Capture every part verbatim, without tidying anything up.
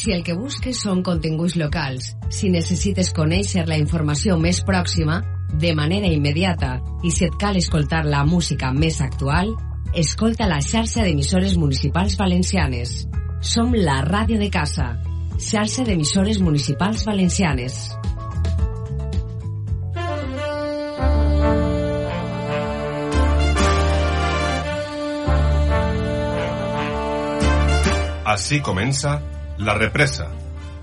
Si el que busques són continguts locals, si necessites conèixer la informació més pròxima, de manera immediata, i si et cal escoltar la música més actual, escolta la xarxa d'emissores municipals valencianes. Som la ràdio de casa. Xarxa d'emissores municipals valencianes. Así comença La Represa,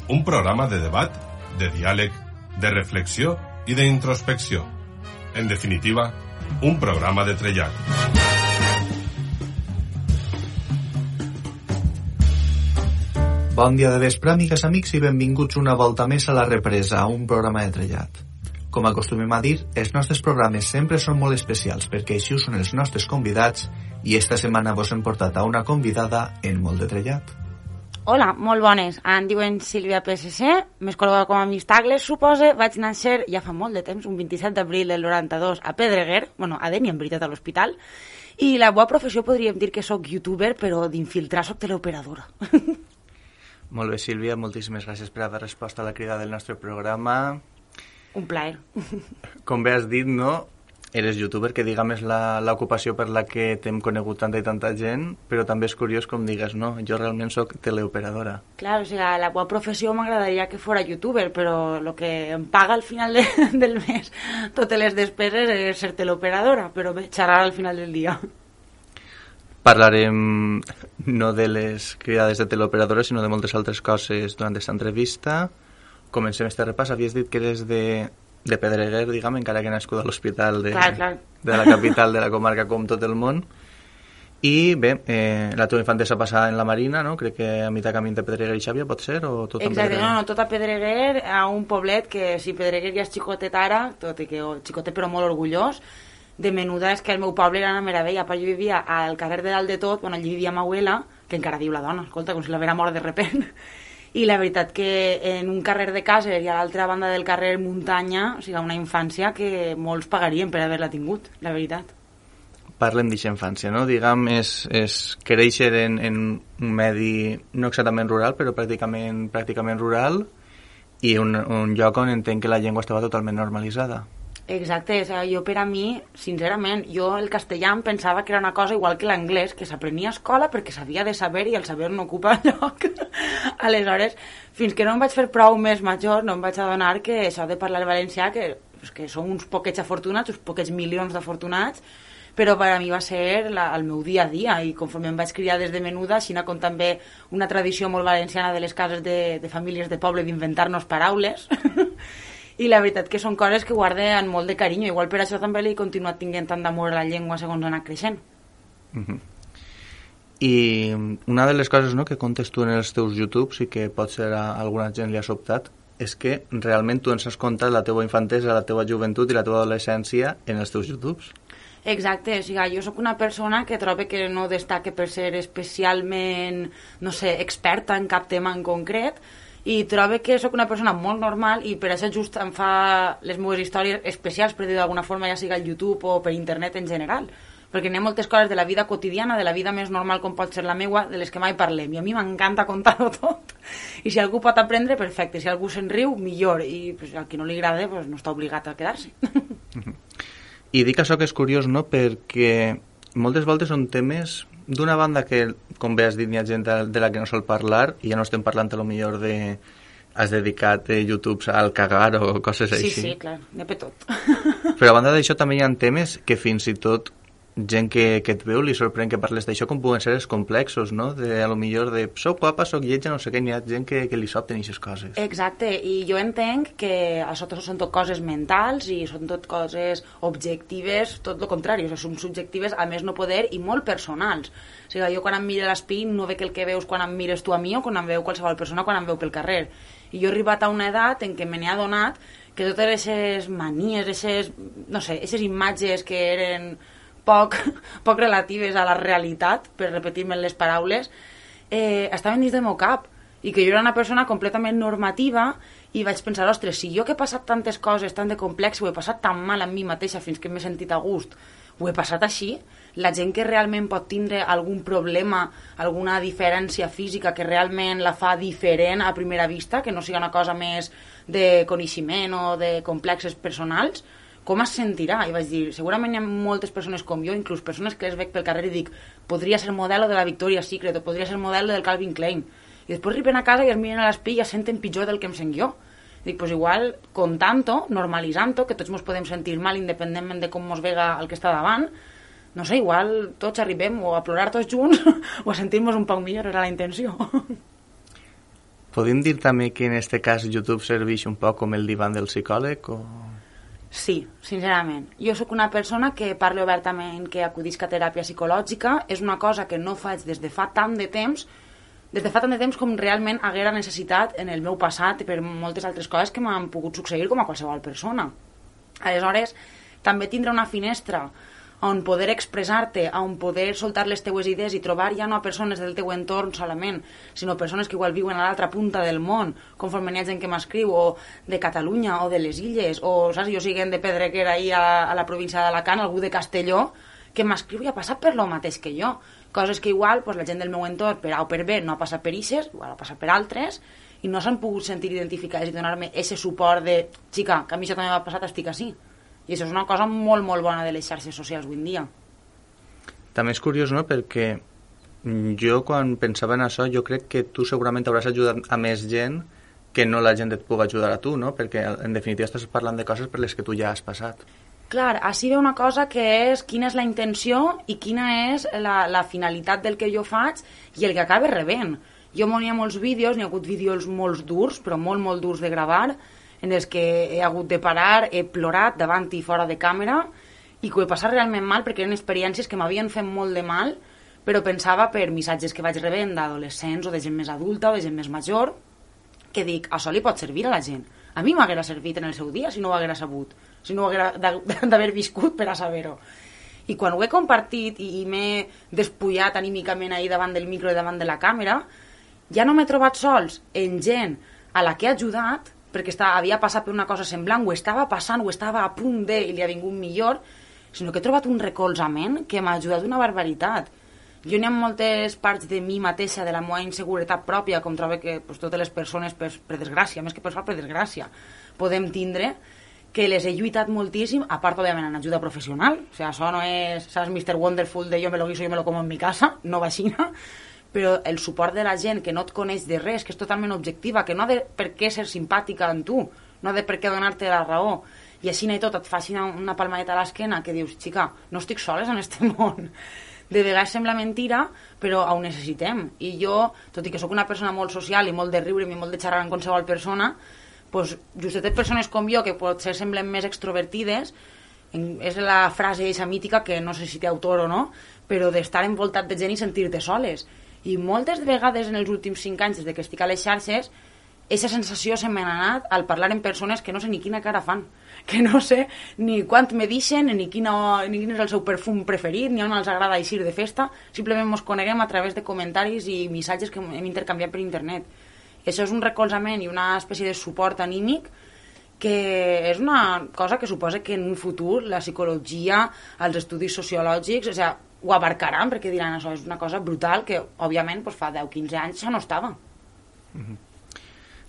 un programa de debat, de diàleg, de reflexió i d'introspecció. En definitiva, un programa de trellat. Bon dia de vespre, amigues, amics, i benvinguts una volta més a La Represa, un programa de trellat. Com acostumem a dir, els nostres programes sempre són molt especials perquè així ho són els nostres convidats i esta setmana vos hem portat a una convidada en molt de trellat. Hola, molt bones. Em diuen Sílvia P S C, més coneguda com a Miss Tagles, suposa. Vaig néixer ja fa molt de temps, un vint-i-set d'abril del noranta-dos, a Pedreguer, bueno, a Deni, en veritat, a l'hospital. I la meva professió podríem dir que sóc youtuber, però d'infiltrar sóc teleoperadora. Molt bé, Sílvia, moltíssimes gràcies per haver respost a la crida del nostre programa. Un plaer. Com bé has dit, no? Eres youtuber, que diguem és l'ocupació per la que t'hem conegut tanta i tanta gent, però també és curiós com digues, no? Jo realment sóc teleoperadora. Clar, o sigui, la meva professió m'agradaria que fora youtuber, però el que em paga al final de, del mes, totes les despeses, és ser teleoperadora, però bé, xerrar al final del dia. Parlarem no de les cridades de teleoperadora, sinó de moltes altres coses durant aquesta entrevista. Comencem este repàs. Havies dit que eres de, de Pedreguer, diguem, encara que nascut a l'hospital de, clar, clar. de la capital de la comarca com tot el món. I bé, eh, la teva infantesa passava en la Marina, no? Crec que a mitjà camí de Pedreguer i Xàbia, pot ser? O tot exacte, no, no, tot a Pedreguer, a un poblet que si Pedreguer ja és xicotet ara, tot i que oh, xicotet però molt orgullós, de menuda és que el meu poble era una meravella. Jo vivia al carrer de dalt de tot, bueno, allí vivia ma abuela, que encara diu la dona, escolta, com si la vera mort de repent. I la veritat que en un carrer de cases i a l'altra banda del carrer muntanya, o sigui, una infància que molts pagarien per haver-la tingut, la veritat. Parlem d'aquesta infància, no? Diguem, és, és créixer en, en un medi no exactament rural, però pràcticament, pràcticament rural, i un, un lloc on entenc que la llengua estava totalment normalitzada. Exacte, o sigui, jo per a mi, sincerament, jo el castellà em pensava que era una cosa igual que l'anglès, que s'aprenia a escola perquè s'havia de saber i el saber no ocupa lloc. Aleshores, fins que no em vaig fer prou més major, no em vaig adonar que això de parlar valencià, que, pues, que som uns poquets afortunats, uns poquets milions d'afortunats, però per a mi va ser la, el meu dia a dia, i conforme em vaig criar des de menuda, així com també una tradició molt valenciana de les cases de, de famílies de poble d'inventar-nos paraules, i la veritat que són coses que guarde amb molt de carinyo, igual per això també li he continuat tinguent tant d'amor a la llengua segons ha anat creixent. Uh-huh. I una de les coses, no, que contes tu en els teus YouTubes i que potser a alguna gent li ha sobtat és que realment tu ens has contat la teva infantesa, la teva joventut i la teva adolescència en els teus YouTubes. Exacte, o sigui, jo sóc una persona que trobo que no destaca per ser especialment, no sé, experta en cap tema en concret, i trobo que sóc una persona molt normal i per això just em fa les meves històries especials, per dir d'alguna forma, ja sigui al YouTube o per internet en general, perquè n'hi ha moltes coses de la vida quotidiana, de la vida més normal com pot ser la meua, de les que mai parlem, i a mi m'encanta contar-ho tot, i si algú pot aprendre, perfecte, si algú se'n riu, millor, i pues, al qui no li agrada pues, no està obligat a quedar-se. I dic això que és curiós, no?, perquè moltes voltes són temes d'una banda que, com bé has dit, hi ha gent de la que no sol parlar, i ja no estem parlant a lo millor de has dedicat eh, YouTubes al cagar o coses sí, així. Sí, sí, clar, n'hi ha per tot. Però a banda d'això també hi ha temes que fins i tot gent que, que et veu li sorprèn que parles d'això, com puguen ser els complexos, no? De, a lo millor de soc guapa, soc lletja, no sé què, n'hi ha gent que, que li sobten aquestes coses. Exacte, i jo entenc que això són tot coses mentals i són tot coses objectives, tot el contrari, o sigui, són subjectives a més no poder i molt personals. O sigui, jo quan em miro a l'espill no veig el que veus quan em mires tu a mi o quan em veu qualsevol persona quan em veu pel carrer. I jo he arribat a una edat en què me n'he adonat que totes aquestes manies, aquestes, no sé, aquestes imatges que eren poc, poc relatives a la realitat, per repetir-me les paraules, eh, estaven dins del meu cap, i que jo era una persona completament normativa, i vaig pensar, ostres, si jo que he passat tantes coses tan de complex, ho he passat tan mal amb mi mateixa fins que m'he sentit a gust, ho he passat així, la gent que realment pot tindre algun problema, alguna diferència física que realment la fa diferent a primera vista, que no sigui una cosa més de coneixement o de complexes personals, com es sentirà? I vaig dir, segurament hi ha moltes persones com jo, inclús persones que les veig pel carrer i dic, podria ser modelo de la Victoria's Secret o podria ser modelo del Calvin Klein. I després arriben a casa i es miren a l'espill i es senten pitjor del que em sent jo. Dic, pues igual, contant-ho, normalitzant-ho, que tots ens podem sentir mal independentment de com ens vega el que està davant, no sé, igual tots arribem o a plorar tots junts o a sentir-nos un poc millor, era la intenció. Podem dir també que en este cas YouTube serveix un poc com el divan del psicòleg o... Sí, sincerament. Jo sóc una persona que parlo obertament que acudisc a teràpia psicològica. És una cosa que no faig des de fa tant de temps, des de fa tant de temps com realment haguera necessitat en el meu passat i per moltes altres coses que m'han pogut succeir com a qualsevol persona. Aleshores, també tindre una finestra on poder expressar-te, on poder soltar les teues idees i trobar ja no persones del teu entorn solament, sinó persones que igual viuen a l'altra punta del món, conforme n'hi ha gent que m'escriu, o de Catalunya, o de les Illes, o, saps, jo siguent de Pedreguer ahir a, a la província d'Alacant, algú de Castelló, que m'escriu i ha passat per lo mateix que jo. Coses que igual pues, la gent del meu entorn, per A o per B, no ha passat per ixes, igual ha passat per altres, i no s'han pogut sentir identificades i donar-me aquest suport de, xica, que a mi això també m'ha passat, estic així. I això és una cosa molt, molt bona de les xarxes socials avui en dia. També és curiós, no?, perquè jo quan pensava en això, jo crec que tu segurament hauràs ajudat a més gent que no la gent et pugui ajudar a tu, no?, perquè en definitiva estàs parlant de coses per les que tu ja has passat. Clar, així ve una cosa que és quina és la intenció i quina és la, la finalitat del que jo faig i el que acaba rebent. Jo m'hi ha molts vídeos, n'hi ha hagut vídeos molt durs, però molt, molt durs de gravar, en els que he hagut de parar, he plorat davant i fora de càmera i que ho he passat realment mal perquè eren experiències que m'havien fet molt de mal, però pensava per missatges que vaig rebent d'adolescents o de gent més adulta o de gent més major, que dic, això li pot servir a la gent. A mi m'haguera servit en el seu dia si no ho haguera sabut, si no ho haguera d'haver viscut per a saber-ho. I quan ho he compartit i m'he despullat anímicament ahir davant del micro i davant de la càmera, ja no m'he trobat sols en gent a la que he ajudat perquè estava, havia passat per una cosa semblant, ho estava passant, ho estava a punt de, i li ha vingut millor, sinó que he trobat un recolzament que m'ha ajudat una barbaritat. Jo n'hi ha moltes parts de mi mateixa, de la meva inseguretat pròpia, com trobo que pues, totes les persones, per, per desgràcia, més que per sort, per desgràcia, podem tindre, que les he lluitat moltíssim, a part, òbviament, en ajuda professional. O sigui, això no és, saps, mister Wonderful de jo me lo guiso, jo me lo como en mi casa, no va així, però el suport de la gent que no et coneix de res, que és totalment objectiva, que no ha de per què ser simpàtica en tu, no ha de per què donar-te la raó, i així i tot et faci una, una palmadeta a l'esquena que dius, xica, no estic soles en este món. De vegades sembla mentira, però ho necessitem. I jo, tot i que sóc una persona molt social i molt de riure i molt de xerrar amb qualsevol persona, pues, justet persones com jo, que potser semblen més extrovertides, és la frase eixa mítica, que no sé si té autor o no, però d'estar envoltat de gent i sentir-te soles. I moltes vegades en els últims cinc anys, des que estic a les xarxes, aquesta sensació se m'ha anat al parlar amb persones que no sé ni quina cara fan, que no sé ni quant me deixen, ni, quina, ni quin és el seu perfum preferit, ni on els agrada eixir de festa, simplement ens coneguem a través de comentaris i missatges que hem intercanviat per internet. Això és un recolzament i una espècie de suport anímic que és una cosa que suposa que en un futur la psicologia, els estudis sociològics, o sigui, ho abarcaran, perquè diran això és una cosa brutal que, òbviament, doncs fa deu quinze anys això no estava. Mm-hmm.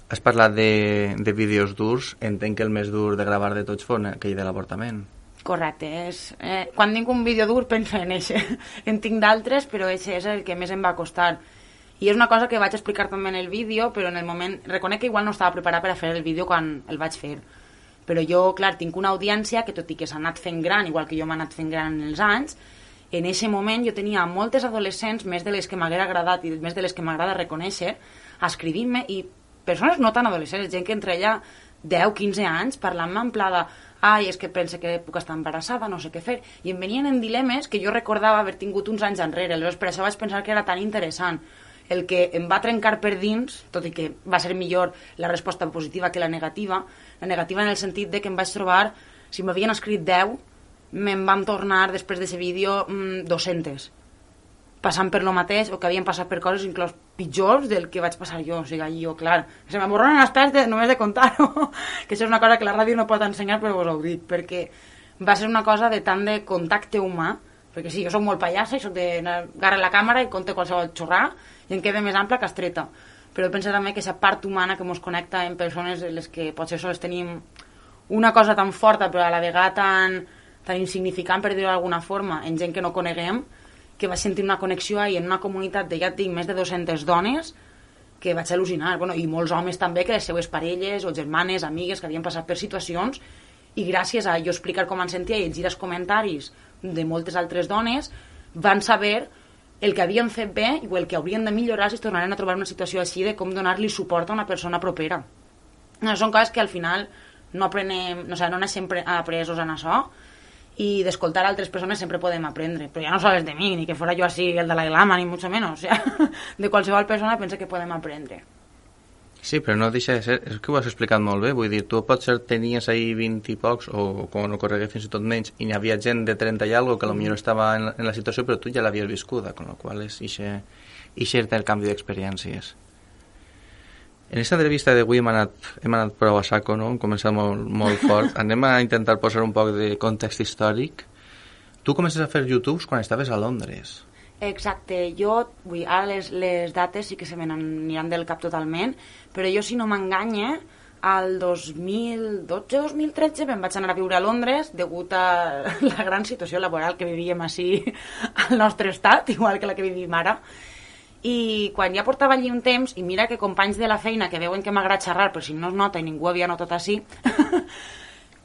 Has parlat de, de vídeos durs, entenc que el més dur de gravar de tots fos aquell de l'avortament. Correcte, és, eh, quan tinc un vídeo dur penso en eixe, en tinc d'altres, però eixe és el que més em va costar. I és una cosa que vaig explicar també en el vídeo, però en el moment, reconec que igual no estava preparat per a fer el vídeo quan el vaig fer. Però jo, clar, tinc una audiència que tot i que s'ha anat fent gran, igual que jo m'he anat fent gran en els anys, en aquest moment jo tenia moltes adolescents, més de les que m'haguera agradat i més de les que m'agrada reconèixer, escrivint-me, i persones no tan adolescents, gent que entre ella deu quinze anys, parlant-me en pla de ai, és que pense que puc estar embarassada, no sé què fer, i em venien en dilemes que jo recordava haver tingut uns anys enrere, aleshores per això vaig pensar que era tan interessant. El que em va trencar per dins, tot i que va ser millor la resposta positiva que la negativa, la negativa en el sentit de que em vaig trobar, si m'havien escrit deu, me'n van tornar després d'aquest vídeo mmm, dos-centes, passant per lo mateix o que havien passat per coses inclús pitjors del que vaig passar jo. O sigui, jo, clar, se m'aborronen els pèls de, només de contar-ho, que això és una cosa que la ràdio no pot ensenyar, però vos ho dic, perquè va ser una cosa de tant de contacte humà, perquè sí, jo soc molt pallassa i soc de agarrar la càmera i conte qualsevol xorrà i em queda més ampla que estreta, però penso també que aquesta part humana que ens connecta en persones en les que potser sols tenim una cosa tan forta però a la vegada tan, tan insignificant, per dir-ho d'alguna forma, en gent que no coneguem, que vaig sentir una connexió ahí en una comunitat de, ja et dic, més de dues-centes dones, que vaig al·lucinar, bueno, i molts homes també, que les seues parelles o germanes, amigues, que havien passat per situacions, i gràcies a jo explicar com em sentia i llegir els comentaris de moltes altres dones, van saber el que havien fet bé i el que haurien de millorar si es tornaren a trobar una situació així, de com donar-li suport a una persona propera. No, són coses que al final no aprenem, no, o sigui, no naixem apresos en això, i d'escoltar altres persones sempre podem aprendre, però ja no sols de mi, ni que fora jo així el de la Ilama, ni mucho menos, o sea, de qualsevol persona pensa que podem aprendre. Sí, però no deixa de ser, és que ho has explicat molt bé, vull dir, tu potser tenies ahir vint i pocs, o quan no corregué fins i tot menys, i n'hi havia gent de trenta i algo que potser estava en, en la situació, però tu ja l'havies viscuda, con la qual és ixe el canvi d'experiències. En aquesta entrevista d'avui hem anat, hem anat prou a saco, no? Hem començat molt, molt fort. Anem a intentar posar un poc de context històric. Tu comences a fer YouTubes quan estaves a Londres. Exacte. Jo, vull, ara les, les dates sí que se me n'aniran del cap totalment, però jo, si no m'enganye, al dos mil dotze dos mil tretze me'n vaig anar a viure a Londres degut a la gran situació laboral que vivíem així al nostre estat, igual que la que vivim ara. I quan ja portava allí un temps, i mira que companys de la feina que veuen que m'agrada xerrar, però si no es nota i ningú havia notat així,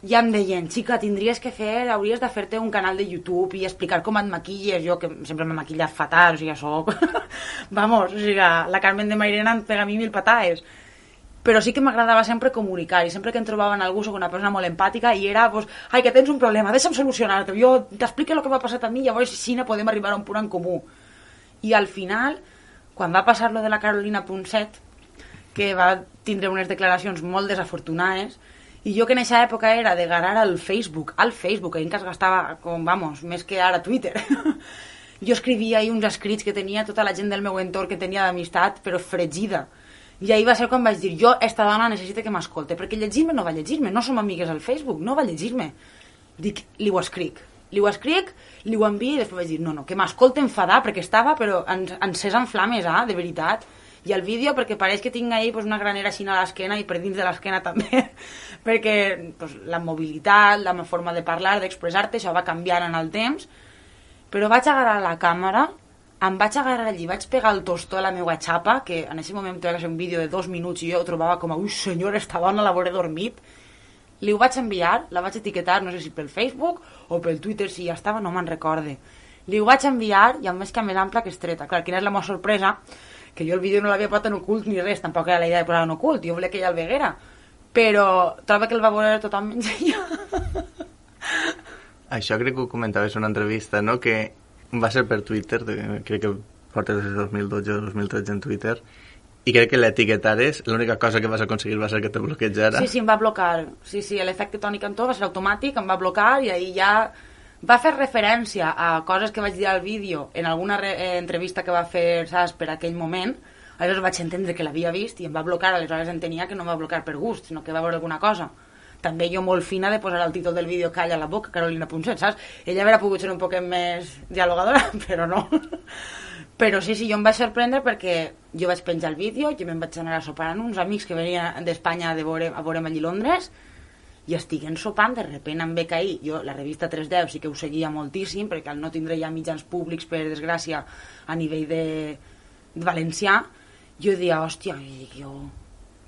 ja em deien, xica, tindries que fer, hauries de fer-te un canal de YouTube i explicar com et maquilles, jo que sempre m'he maquillat fatal, o sigui, soc... Vamos, o sigui, la Carmen de Mairena em pega a mi mil pataes. Però sí que m'agradava sempre comunicar, i sempre que em trobava en algú soc una persona molt empàtica, i era, pues, ai, que tens un problema, deixa'm solucionar-te, jo t'explico el que m'ha passat a mi, llavors així no podem arribar a un punt en comú. I al final, quan va passar lo de la Carolina Ponset, que va tindre unes declaracions molt desafortunades, i jo que en aquesta època era de garar al Facebook, al Facebook, que en cas gastava, com, vamos, més que ara Twitter, jo escrivia ahí uns escrits que tenia tota la gent del meu entorn que tenia d'amistat, però fregida. I ahir va ser quan vaig dir, jo, esta dona necessita que m'escolte, perquè llegir-me no va llegir-me, no som amigues al Facebook, no va llegir-me. Dic, li ho escric. Li ho escric, li ho envio i després vaig dir, no, no, que m'escolta enfadar, perquè estava, però encès en flames, ah, de veritat. I el vídeo, perquè pareix que tinc ahí pues, una granera així a l'esquena i per dins de l'esquena també, perquè pues, la mobilitat, la forma de parlar, d'expressar-te, això va canviant en el temps, però vaig agarrar la càmera, em vaig agarrar allí, vaig pegar el tostó a la meva xapa, que en aquest moment vaig fer un vídeo de dos minuts i jo ho trobava com a, ui senyor, esta dona l'hauré dormit. Li ho vaig enviar, la vaig etiquetar, no sé si pel Facebook o pel Twitter, si ja estava, no me'n recorde. Li ho vaig enviar i amb més que més ampla que estreta. Clar, quina és la meva sorpresa? Que jo el vídeo no l'havia posat en ocult ni res, tampoc era la idea de posar en ocult, jo volia que ella el veguera. Però trobo que el va veure totalment ella. Això crec que ho comentaves en una entrevista, no? Que va ser per Twitter, crec que portes des de dos mil dotze o dos mil tretze en Twitter, i crec que l'etiquetares, l'única cosa que vas aconseguir va ser que te bloquejara. Sí, sí, em va blocar. Sí, sí, l'efecte Toni Cantó va ser automàtic, em va blocar i ahir ja va fer referència a coses que vaig dir al vídeo en alguna re- eh, entrevista que va fer, saps, per aquell moment. Aleshores vaig entendre que l'havia vist i em va blocar, aleshores entenia que no em va blocar per gust, sinó que va veure alguna cosa. També jo molt fina de posar el títol del vídeo Calla la boca, Carolina Ponset, saps? Ella hauria pogut ser un poc més dialogadora, però no. Però sí, sí, jo em vaig sorprendre perquè jo vaig penjar el vídeo, jo me'n vaig anar a sopar amb uns amics que venien d'Espanya a veure, a veure'm allí a Londres, i estiguen sopant, de repent em ve cair, jo la revista tres deu sí que ho seguia moltíssim, perquè al no tindre ja mitjans públics, per desgràcia, a nivell de, de valencià, jo deia, hòstia, jo...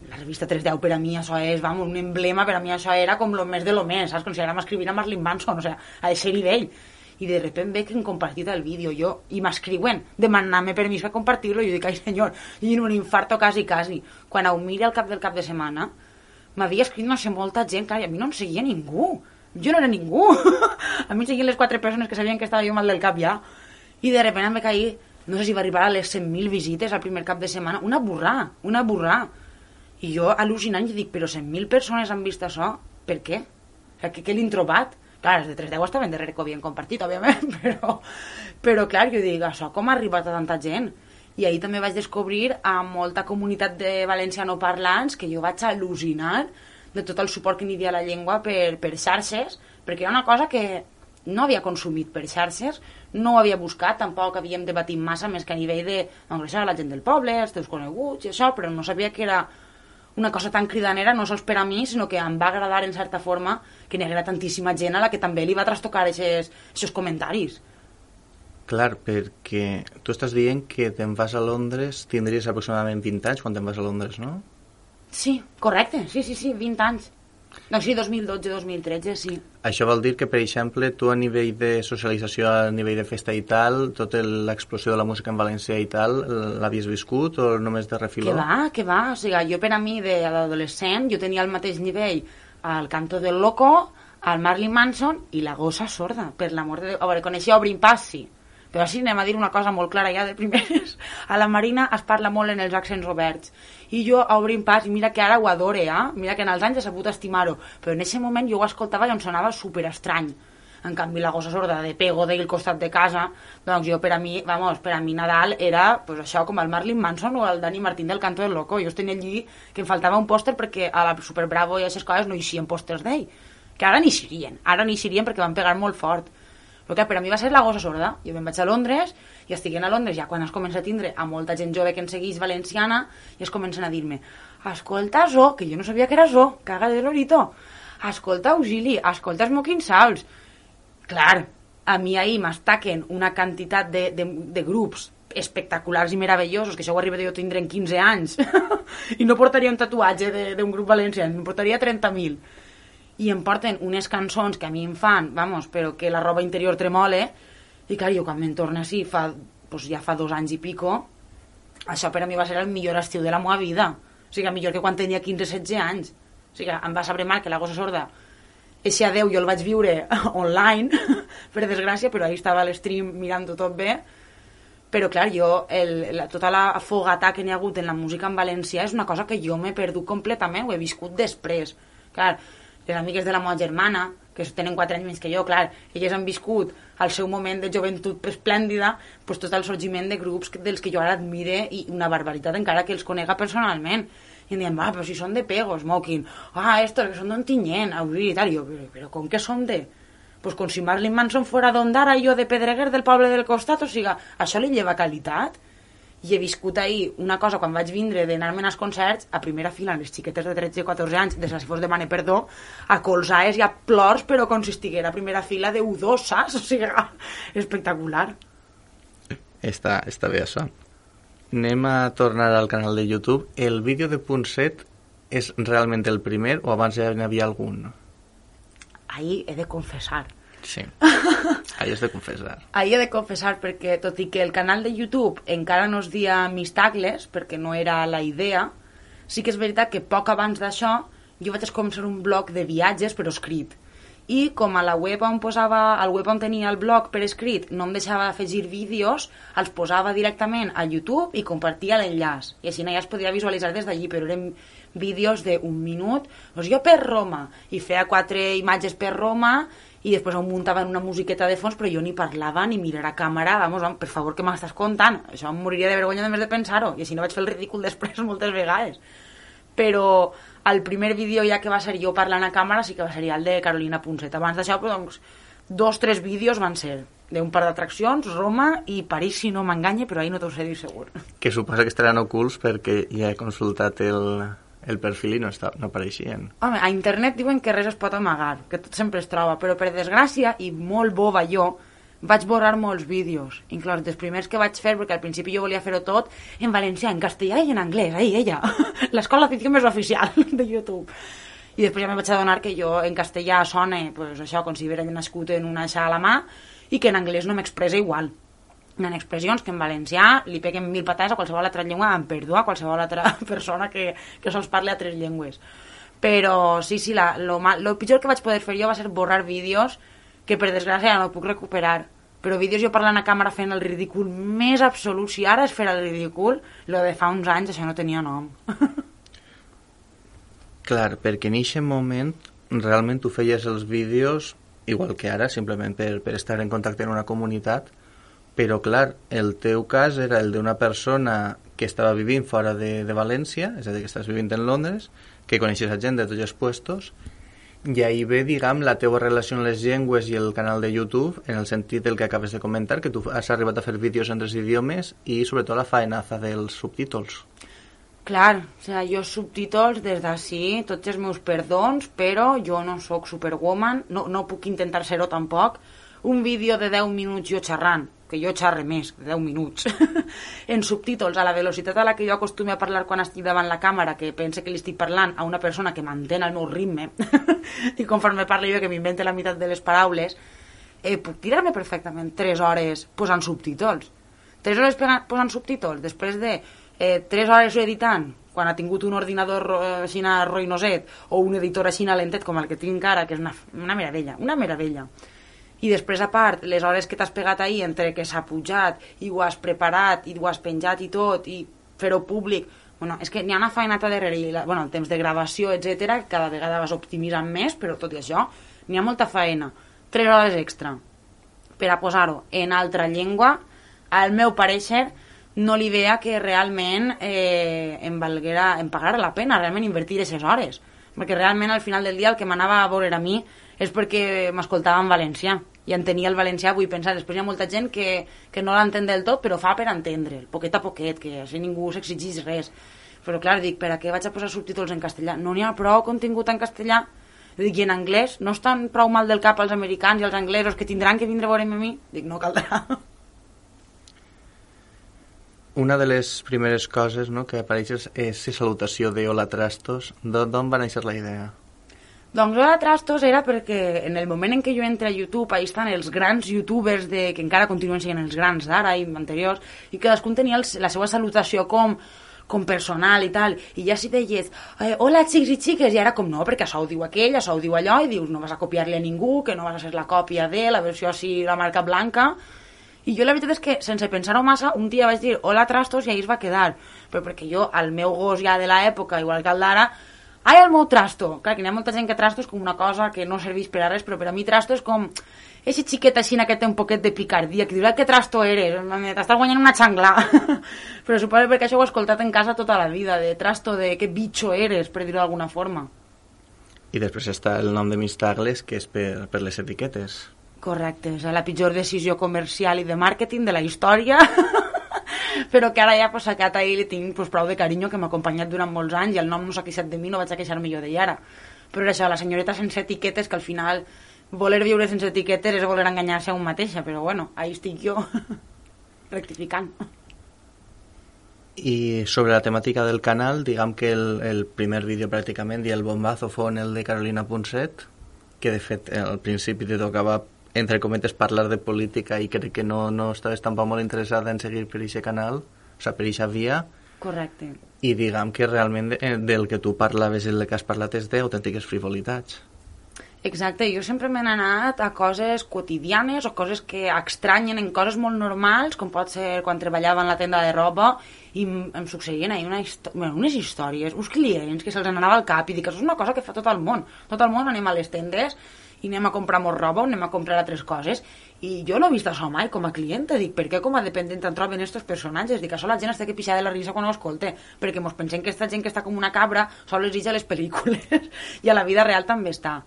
la revista tres deu per a mi això és, vamos, un emblema, per a mi això era com lo més de lo més, saps? Com si ara m'escrivint a Marilyn Manson, o sigui, a aquest nivell. I de repente ve que han compartit el vídeo jo, i m'escriuen demanant-me permís per compartir-lo, i jo dic, ai senyor, i en un infarto quasi, quasi. Quan ho mira al cap del cap de setmana, m'havia escrit no sé molta gent, clar, i a mi no em seguia ningú, jo no era ningú. A mi em seguien les quatre persones que sabien que estava jo mal del cap ja, i de repente em va cair, no sé si va arribar a les cent mil visites al primer cap de setmana, una burrà, una burrà. I jo al·lucinant i dic, però cent mil persones han vist això, per què? O sigui, què, què l'han trobat? Clar, els de tres deu estaven darrere que ho havien compartit, òbviament, però, però clar, jo dic, això com ha arribat a tanta gent? I ahir també vaig descobrir a molta comunitat de valencianoparlants que jo vaig al·lucinar de tot el suport que n'hi havia a la llengua per, per xarxes, perquè hi ha una cosa que no havia consumit per xarxes, no ho havia buscat, tampoc havíem debatit massa, més que a nivell de engreixar la gent del poble, els teus coneguts i això, però no sabia que era una cosa tan cridanera, no sols per a mi, sinó que em va agradar en certa forma que n'hi haguera tantíssima gent a la que també li va trastocar aquests comentaris. Clar, perquè tu estàs dient que te'n vas a Londres, tindries aproximadament vint anys quan te'n vas a Londres, no? Sí, correcte, sí, sí, sí, vint anys. Doncs sí, dos mil dotze dos mil tretze, sí. Això vol dir que, per exemple, tu a nivell de socialització, a nivell de festa i tal, tota l'explosió de la música en valencià i tal, l'havies viscut o només de refiló? Que va, que va. O sigui, jo per a mi, d'adolescent, jo tenia el mateix nivell al Canto del Loco, al Marilyn Manson i la Gossa Sorda, per l'amor de Déu. A veure, coneixia Obrin Pas, sí. Però sí, anem a dir una cosa molt clara ja de primeres. A la Marina es parla molt en els accents oberts. I jo a Obrim Pas, i mira que ara ho adore, eh? Mira que en els anys he sabut estimar-ho. Però en aquest moment jo ho escoltava i em sonava superestrany. En canvi, la Gossa Sorda de Pego del costat de casa, doncs jo per a mi, vamos, per a mi Nadal era pues, això com el Marilyn Manson o el Dani Martín del Canto del Loco. Jo es tenia allí que em faltava un pòster perquè a la Super Bravo i aquestes coses no hi eixien pòsters d'ell. Que ara n'hi eixirien, ara n'hi eixirien perquè van pegar molt fort. Però que per a mi va ser la Gossa Sorda. Jo me'n vaig a Londres i estic a Londres ja quan es comença a tindre a molta gent jove que en segueix valenciana i es comencen a dir-me escolta Zo, que jo no sabia que era Zo, caga de l'orito, escolta Auxili, escolta Smoking Sauls. Clar, a mi ahir m'estaquen una quantitat de, de, de grups espectaculars i meravellosos, que això ho arriba de jo tindre en quinze anys i no portaria un tatuatge d'un grup valencià, em portaria trenta mil. I em porten unes cançons que a mi em fan, vamos, però que la roba interior tremole, i clar, jo quan me'n torno així, fa, pues ja fa dos anys i pico, això per a mi va ser el millor estiu de la meva vida. O sigui, millor que quan tenia quinze setze anys. O sigui, em va saber mal que la Gossa Sorda, eixe adeu jo el vaig viure online, per desgràcia, però ahí estava a l'stream mirant-ho tot bé. Però clar, jo, el, la, tota la fogata que n'hi ha hagut en la música en valencià és una cosa que jo m'he perdut completament, ho he viscut després. Clar, les amigues de la meva germana, que tenen quatre anys més que jo, clar, elles han viscut al seu moment de joventut esplèndida pues, tot el sorgiment de grups dels que jo ara admire i una barbaritat encara que els conega personalment. I em diuen, va, però si són de Pego, Smoking, ah, estos que són d'Ontinyent, Abril i tal, i jo, però, però com que són de... Pues com si Marilyn Manson fora d'Ondara i jo de Pedreguer del poble del costat, o sigui, això li lleva qualitat. I he viscut ahir una cosa, quan vaig vindre d'anar-me'n als concerts, a primera fila, les xiquetes de tretze i catorze anys, des de si fos demane perdó, a colzaes i a plors, però com si estiguera a primera fila de U dos, saps? O sigui, espectacular. Està, està bé, això. Anem a tornar al canal de YouTube. El vídeo de Punt set és realment el primer o abans ja n'hi havia algun? Ahir he de confessar. Sí, ahí has de confessar. Ahí he de confessar perquè, tot i que el canal de YouTube encara no es dia Mistacles, perquè no era la idea, sí que és veritat que poc abans d'això jo vaig començar un blog de viatges però escrit. I com a la web on posava, al web on tenia el blog per escrit no em deixava afegir vídeos, els posava directament a YouTube i compartia l'enllaç. I així ja es podia visualitzar des d'allí, però eren vídeos d'un minut. Doncs jo per Roma, i feia quatre imatges per Roma, i després em muntaven una musiqueta de fons, però jo ni parlava ni mirar a càmera, vamos, vamos, per favor, que m'estàs contant? Això em moriria de vergonya només de pensar-ho, i així no vaig fer el ridícul després moltes vegades. Però el primer vídeo ja que va ser jo parlant a càmera sí que va ser el de Carolina Punt set. Abans d'això, doncs, dos, tres vídeos van ser d'un par d'atraccions, Roma i París, si no m'enganye, però ahir no t'ho sé dir segur. Que suposa que estaran ocults perquè ja he consultat el... el perfil i no, està, no apareixien. Home, a internet diuen que res es pot amagar, que tot sempre es troba, però per desgràcia, i molt boba jo, vaig borrar molts vídeos, inclús dels primers que vaig fer, perquè al principi jo volia fer-ho tot en valencià, en castellà i en anglès, ahí, ella, l'escola d'afició més oficial de YouTube. I després ja me vaig adonar que jo en castellà sona, pues, això, com si hagués nascut en una aixa a la mà, i que en anglès no m'expressa igual. Hi ha expressions que en valencià li peguen mil patades a qualsevol altra llengua, en perdó a qualsevol altra persona que, que sols parli a tres llengües. Però sí, sí, la, lo, mal, lo pitjor que vaig poder fer jo va ser borrar vídeos que per desgràcia no puc recuperar. Però vídeos jo parlant a càmera fent el ridícul més absolut. Si ara és fer el ridícul, lo de fa uns anys això no tenia nom. Clar, perquè en aquest moment realment tu feies els vídeos igual que ara, simplement per, per estar en contacte en una comunitat. Però, clar, el teu cas era el d'una persona que estava vivint fora de, de València, és a dir, que estàs vivint en Londres, que coneixes a gent de tots els puestos, I ahir ve, diguem, la teva relació amb les llengües i el canal de YouTube, en el sentit del que acabes de comentar, que tu has arribat a fer vídeos en tres idiomes i sobretot la faenaza dels subtítols. Clar, o sigui, jo subtítols des d'ací, tots els meus perdons, però jo no sóc superwoman, no, no puc intentar ser-ho tampoc. Un vídeo de deu minuts jo xerrant, que jo xerre més, de deu minuts, en subtítols, a la velocitat a la que jo acostumo a parlar quan estic davant la càmera, que pense que li estic parlant a una persona que mantén el meu ritme, i conforme parlo jo que m'invente la meitat de les paraules, eh, puc tirar-me perfectament tres hores posant subtítols. Tres hores posant subtítols, després de eh, tres hores editant, quan ha tingut un ordinador eh, així ruïnoset, o un editor així lentet com el que tinc ara, que és una, una meravella, una meravella. I després, a part, les hores que t'has pegat ahir entre que s'ha pujat i ho has preparat i ho has penjat i tot i fer-ho públic, bueno, és que n'hi ha una feinata darrere i la, bueno, el temps de gravació, etcètera, cada vegada vas optimitzant més, però tot i això n'hi ha molta feina. Tres hores extra per a posar-ho en altra llengua, al meu pareixer no li veia que realment eh, em valguera, em pagara la pena realment invertir aquestes hores, perquè realment al final del dia el que m'anava a veure a mi és perquè m'escoltava en valencià i entenia el valencià, vull pensar. Després hi ha molta gent que, que no l'entén del tot, però fa per entendre'l, poquet a poquet, que així ningú s'exigís res. Però clar, dic, per a què vaig a posar subtítols en castellà? No n'hi ha prou contingut en castellà. Dic, i en anglès? No estan prou mal del cap els americans i els anglesos que tindran que vindre a veure'm a mi? Dic, no caldrà. Una de les primeres coses, no, que apareixes és la salutació de Hola Trastos. D'on va néixer la idea? Doncs Hola Trastos era perquè en el moment en què jo entro a YouTube, ahí estan els grans youtubers de, que encara continuen sent els grans d'ara i anteriors, i cadascun tenia el, la seva salutació com, com personal i tal, i ja si deies eh, hola xics i xiques, i ara com no, perquè això ho diu aquell, això ho diu allò, i dius no vas a copiar-li a ningú, que no vas a ser la còpia de la versió així, la marca blanca. I jo la veritat és que, sense pensar-ho massa, un dia vaig dir Hola Trastos i ahí es va quedar, però perquè jo, al meu gos ja de l'època, igual que el d'ara, ai, el meu trasto. Clar, que hi ha molta gent que trasto és com una cosa que no serveix per a res, però per a mi trasto és com eixe xiquet així que té un poquet de picardia, que diu, que trasto eres, t'estàs guanyant una xangla. Però suposo perquè això ho he escoltat en casa tota la vida, de trasto, de que bitxo eres, per dir-ho d'alguna forma. I després està el nom de Mistagles, que és per, per les etiquetes. Correcte, és la pitjor decisió comercial i de màrqueting de la història. Però que ara ja pues, a Cata li tinc pues, prou de carinyo, que m'ha acompanyat durant molts anys i el nom no s'ha queixat de mi, no vaig a queixar millor d'ella ara. Però era això, la senyoreta sense etiquetes, que al final voler viure sense etiquetes és voler enganyar-se a un mateixa, però bueno, ahí estic jo rectificant. I sobre la temàtica del canal, diguem que el, el primer vídeo pràcticament i el bombazo fou el de Carolina Ponset, que de fet al principi te tocava entre cometes parlar de política i crec que no, no estaves tampoc molt interessada en seguir per aquest canal, o sigui, per aquesta via. Correcte. I diguem que realment del que tu parlaves i el que has parlat és d'autèntiques frivolitats. Exacte, jo sempre m'he anat a coses quotidianes o coses que extranyen en coses molt normals, com pot ser quan treballava en la tenda de roba i em succeïen ahir una bueno, unes històries, uns clients que se'ls anava al cap i dic, això és una cosa que fa tot el món. Tot el món anem a les tendes i anem a comprar molt roba o anem a comprar altres coses, i jo no he vist això mai com a clienta. Dic, per què com a dependent en troben estos personatges? Dic, això la gent està que pixar de la risa quan ho escolte, perquè mos pensem que aquesta gent que està com una cabra sols és a les pel·lícules i a la vida real també està.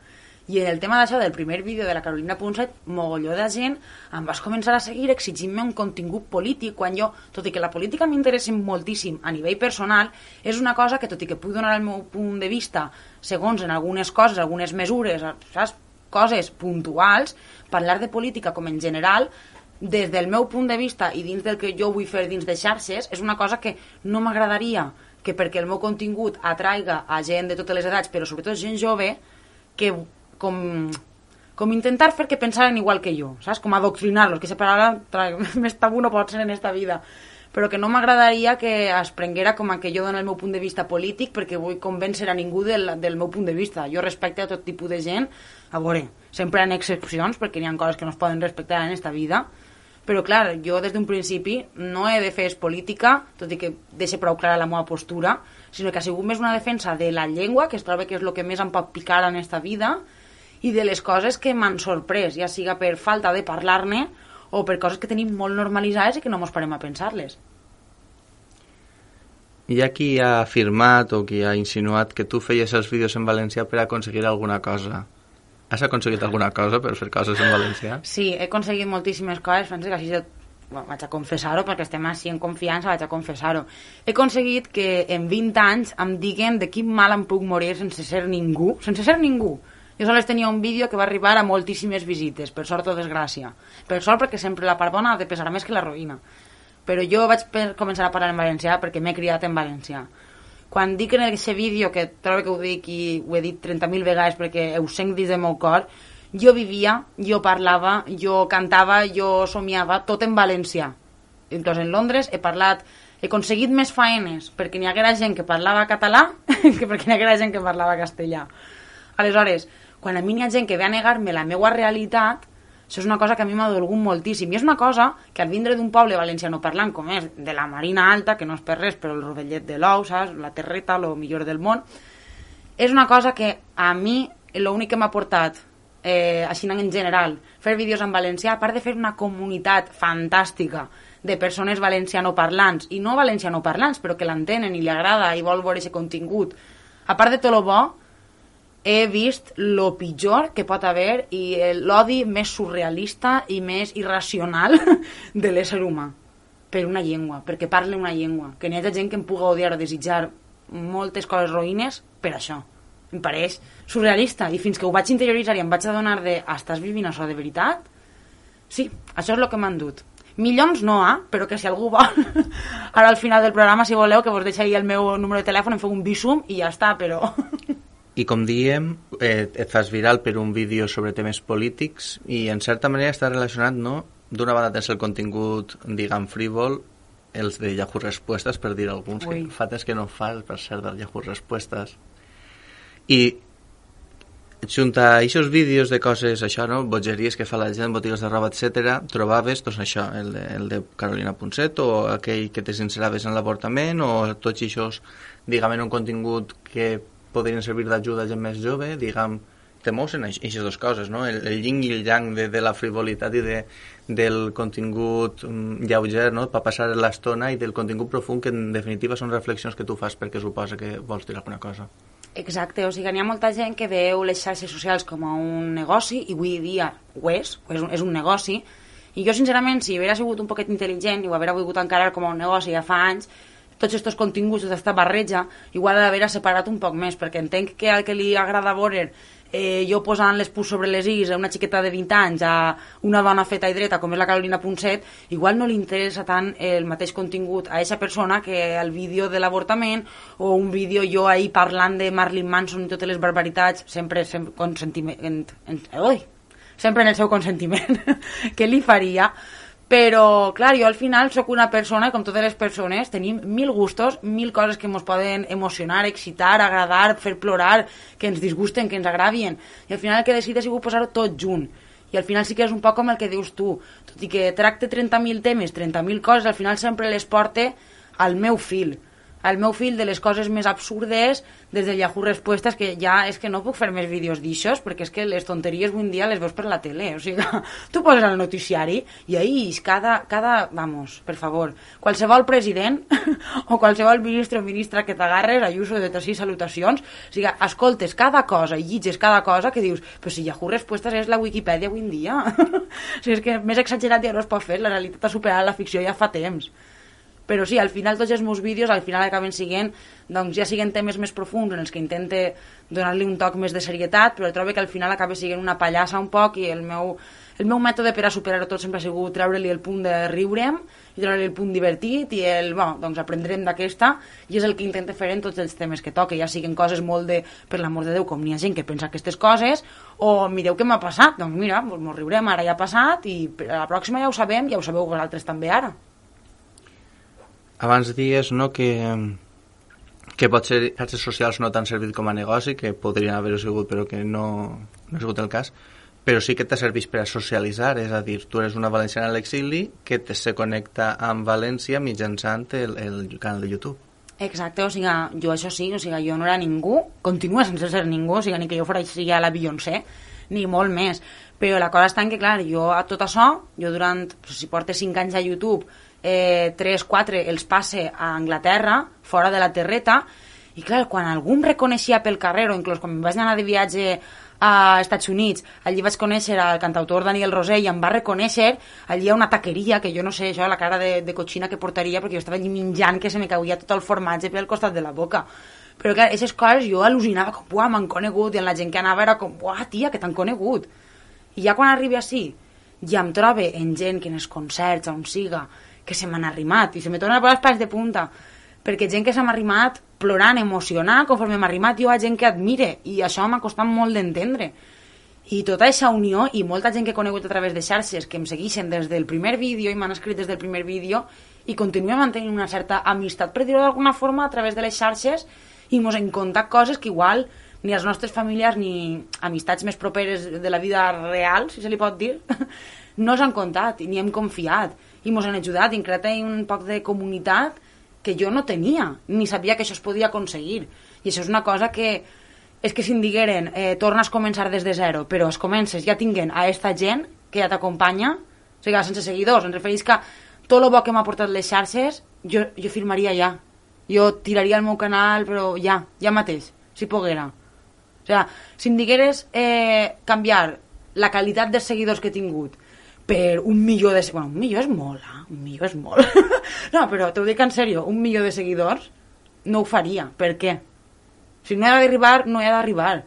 I en el tema d'això del primer vídeo de la Carolina Ponset, mogolló de gent em vas començar a seguir exigint-me un contingut polític, quan jo, tot i que la política m'interessa moltíssim a nivell personal, és una cosa que, tot i que puc donar el meu punt de vista segons en algunes coses, algunes mesures, saps? Coses puntuals, parlar de política com en general, des del meu punt de vista i dins del que jo vull fer dins de xarxes, és una cosa que no m'agradaria que perquè el meu contingut atraiga a gent de totes les edats, però sobretot gent jove, que com, com intentar fer que pensaren igual que jo, saps? Com adoctrinar-los, que separar més tabú no pot ser en esta vida, però que no m'agradaria que es prenguera com a que jo dono el meu punt de vista polític perquè vull convèncer a ningú del, del meu punt de vista. Jo respecte a tot tipus de gent, a veure, sempre hi ha excepcions perquè hi ha coses que no es poden respectar en esta vida, però clar, jo des d'un principi no he de fer política, tot i que deixe prou clara la meva postura, sinó que ha sigut més una defensa de la llengua, que es troba que és el que més em pot picar en esta vida, i de les coses que m'han sorprès, ja siga per falta de parlar-ne o per coses que tenim molt normalitzades i que no mos parem a pensar-les. Hi ha qui ha afirmat o qui ha insinuat que tu feies els vídeos en valencià per aconseguir alguna cosa. Has aconseguit alguna cosa per fer coses en valencià? Sí, he aconseguit moltíssimes coses, penso que així de... bueno, vaig a confessar-ho, perquè estem així en confiança, vaig a confessar-ho. He aconseguit que en vint anys em diguen de quin mal em puc morir sense ser ningú, sense ser ningú. Jo sols tenia un vídeo que va arribar a moltíssimes visites, per sort o desgràcia. Per sort perquè sempre la part bona ha de pesar més que la ruïna. Però jo vaig començar a parlar en valencià perquè m'he criat en valencià. Quan dic en aquest vídeo, que trobo que ho dic i ho he dit trenta mil vegades perquè ho sent dins del meu cor, jo vivia, jo parlava, jo cantava, jo somiava, tot en valencià. Inclús en Londres he parlat, he aconseguit més faenes perquè n'hi haguera gent que parlava català que perquè n'hi haguera gent que parlava castellà. Aleshores, quan a mi n'hi ha gent que ve a negar-me la meva realitat, això és una cosa que a mi m'ha dolgut moltíssim. I és una cosa que al vindre d'un poble valenciano parlant, com és de la Marina Alta, que no és per res, però el rovellet de l'ou, saps? La terreta, lo millor del món, és una cosa que a mi l'únic que m'ha portat, eh, així en general, fer vídeos en valencià, a part de fer una comunitat fantàstica de persones valencianoparlants, i no valencianoparlants, però que l'entenen i li agrada i vol veure aquest contingut, a part de tot el bo, he vist lo pitjor que pot haver i l'odi més surrealista i més irracional de l'ésser humà per una llengua, perquè parle una llengua, que n'hi ha gent que em puga odiar o desitjar moltes coses roïnes per això. Em pareix surrealista, i fins que ho vaig interioritzar i em vaig adonar de estàs vivint això de veritat? Sí, això és el que m'han dut. Milions no, eh? Però que si algú vol ara al final del programa, si voleu, que vos deixaré el meu número de telèfon, em feu un visum i ja està, però... I com diem, eh, et fas viral per un vídeo sobre temes polítics i en certa manera està relacionat, no? D'una banda tens el contingut, diguem, frívol, els de Yahoo Respuestas, per dir alguns, Ui. que fa temps que no fas, per ser del Yahoo Respuestas. I junt a aquests vídeos de coses, això, no? Bogeries que fa la gent, botigues de roba, etcètera, trobaves, doncs això, el de, el de Carolina Punset, o aquell que te sinceraves en l'avortament, o tots aquests, diguem, en un contingut que podrien servir d'ajuda a gent més jove, diguem, te mous en aquestes dues coses, no? El, el yin i el yang de, de la frivolitat i de, del contingut um, lleuger, no? Per passar l'estona, i del contingut profund, que en definitiva són reflexions que tu fas perquè suposa que vols dir alguna cosa. Exacte, o sigui, n'hi ha molta gent que veu les xarxes socials com a un negoci, i avui dia ho és, és un, és un negoci, i jo sincerament, si haguera sigut un poquet intel·ligent i ho haguera volgut encarar com a un negoci ja fa anys, tots aquests continguts, tota aquesta barreja, igual ha d'haver separat un poc més, perquè entenc que al que li agrada veure eh, jo posant les pus sobre les is a una xiqueta de vint anys, a una dona feta i dreta com és la Carolina Punset, igual no li interessa tant el mateix contingut a aquesta persona que el vídeo de l'avortament o un vídeo jo ahir parlant de Marilyn Manson i totes les barbaritats, sempre, sempre, consentiment, en, en, oi, sempre en el seu consentiment, que li faria. Però, clar, jo al final sóc una persona, com totes les persones, tenim mil gustos, mil coses que ens poden emocionar, excitar, agradar, fer plorar, que ens disgusten, que ens agravien. I al final el que he decidit ha sigut posar-ho tot junt. I al final sí que és un poc com el que dius tu. Tot i que tracte trenta mil temes, trenta mil coses, al final sempre les porte al meu fil. Al meu fil de les coses més absurdes, des del Yahoo Respuestas, que ja és que no puc fer més vídeos d'aixòs, perquè és que les tonteries avui en dia les veus per la tele. O sigui, tu poses al noticiari i ahí cada, cada, vamos, per favor, qualsevol president o qualsevol ministre o ministra que t'agarres, Ayuso de tres salutacions, o sigui, escoltes cada cosa i llitges cada cosa que dius, però si Yahoo Respuestas és la Wikipedia avui en dia. O sigui, és que més exagerat ja no es pot fer, la realitat ha superat la ficció ja fa temps. Però sí, al final tots els meus vídeos al final acaben siguent, doncs ja siguen temes més profunds en els que intente donar-li un toc més de serietat, però trobo que al final acaba siguent una pallassa un poc, i el meu, el meu mètode per a superar-ho tot sempre ha sigut treure-li el punt de riurem i treure-li el punt divertit i el, bueno, doncs aprendrem d'aquesta, i és el que intento fer en tots els temes que toque, ja siguen coses molt de, per l'amor de Déu, com n'hi ha gent que pensa aquestes coses, o mireu què m'ha passat, doncs mira, mos riurem, ara ja ha passat, i a la pròxima ja ho sabem, ja ho sabeu vosaltres també ara. Abans dies, no, que, que potser xarxes socials no t'han servit com a negoci, que podrien haver-ho sigut, però que no, no ha sigut el cas, però sí que t'ha servit per a socialitzar, és a dir, tu eres una valenciana a l'exili que te se connecta amb València mitjançant el, el canal de YouTube. Exacte, o sigui, jo això sí, o sigui, jo no era ningú, continua sense ser ningú, o sigui, ni que jo fora sigui a la Beyoncé, ni molt més, però la cosa està en que, clar, jo a tot això, jo durant, si portes cinc anys a YouTube, eh, tres, quatre els passe a Anglaterra, fora de la terreta, i clar, quan algú em reconeixia pel carrer, o inclús quan vaig anar de viatge a Estats Units, allí vaig conèixer el cantautor Daniel Rosell i em va reconèixer, allí hi ha una taqueria que jo no sé, això, la cara de, de cotxina que portaria, perquè jo estava allí menjant que se me cauia tot el formatge pel costat de la boca. Però clar, aquestes coses jo al·lucinava com, buah, m'han conegut, i la gent que anava era com, buah, tia, que t'han conegut. I ja quan arribi així, ja em trobe en gent que en els concerts, on siga, que se m'han arrimat, i se me tornen a posar els pals de punta, perquè gent que se m'ha arrimat plorant, emocionant, conforme m'ha arrimat jo a gent que admire, i això m'ha costat molt d'entendre. I tota aquesta unió, i molta gent que he conegut a través de xarxes, que em segueixen des del primer vídeo, i m'han escrit des del primer vídeo, i continuem mantenint una certa amistat, per dir-ho d'alguna forma, a través de les xarxes, i mos hem contat coses que igual ni els nostres familiars ni amistats més properes de la vida real, si se li pot dir, no s'han contat, ni hem confiat, i mos han ajudat, i hem creat un poc de comunitat que jo no tenia, ni sabia que això es podia aconseguir. I això és una cosa que, és que si em digueren, eh, tornes a començar des de zero, però es comences ja tinguent a esta gent que ja t'acompanya, o sigui, sense seguidors, em refereix que tot el bo que m'ha portat les xarxes, jo, jo firmaria ja. Jo tiraria el meu canal, però ja, ja mateix, si poguera. O sigui, si em digueres eh, canviar la qualitat de seguidors que he tingut per un milió de... Bueno, un milió és molt, eh? Un milió és molt. No, però t'ho dic en sèrio, un milió de seguidors no ho faria. Per què? Si no he d'arribar, no he d'arribar.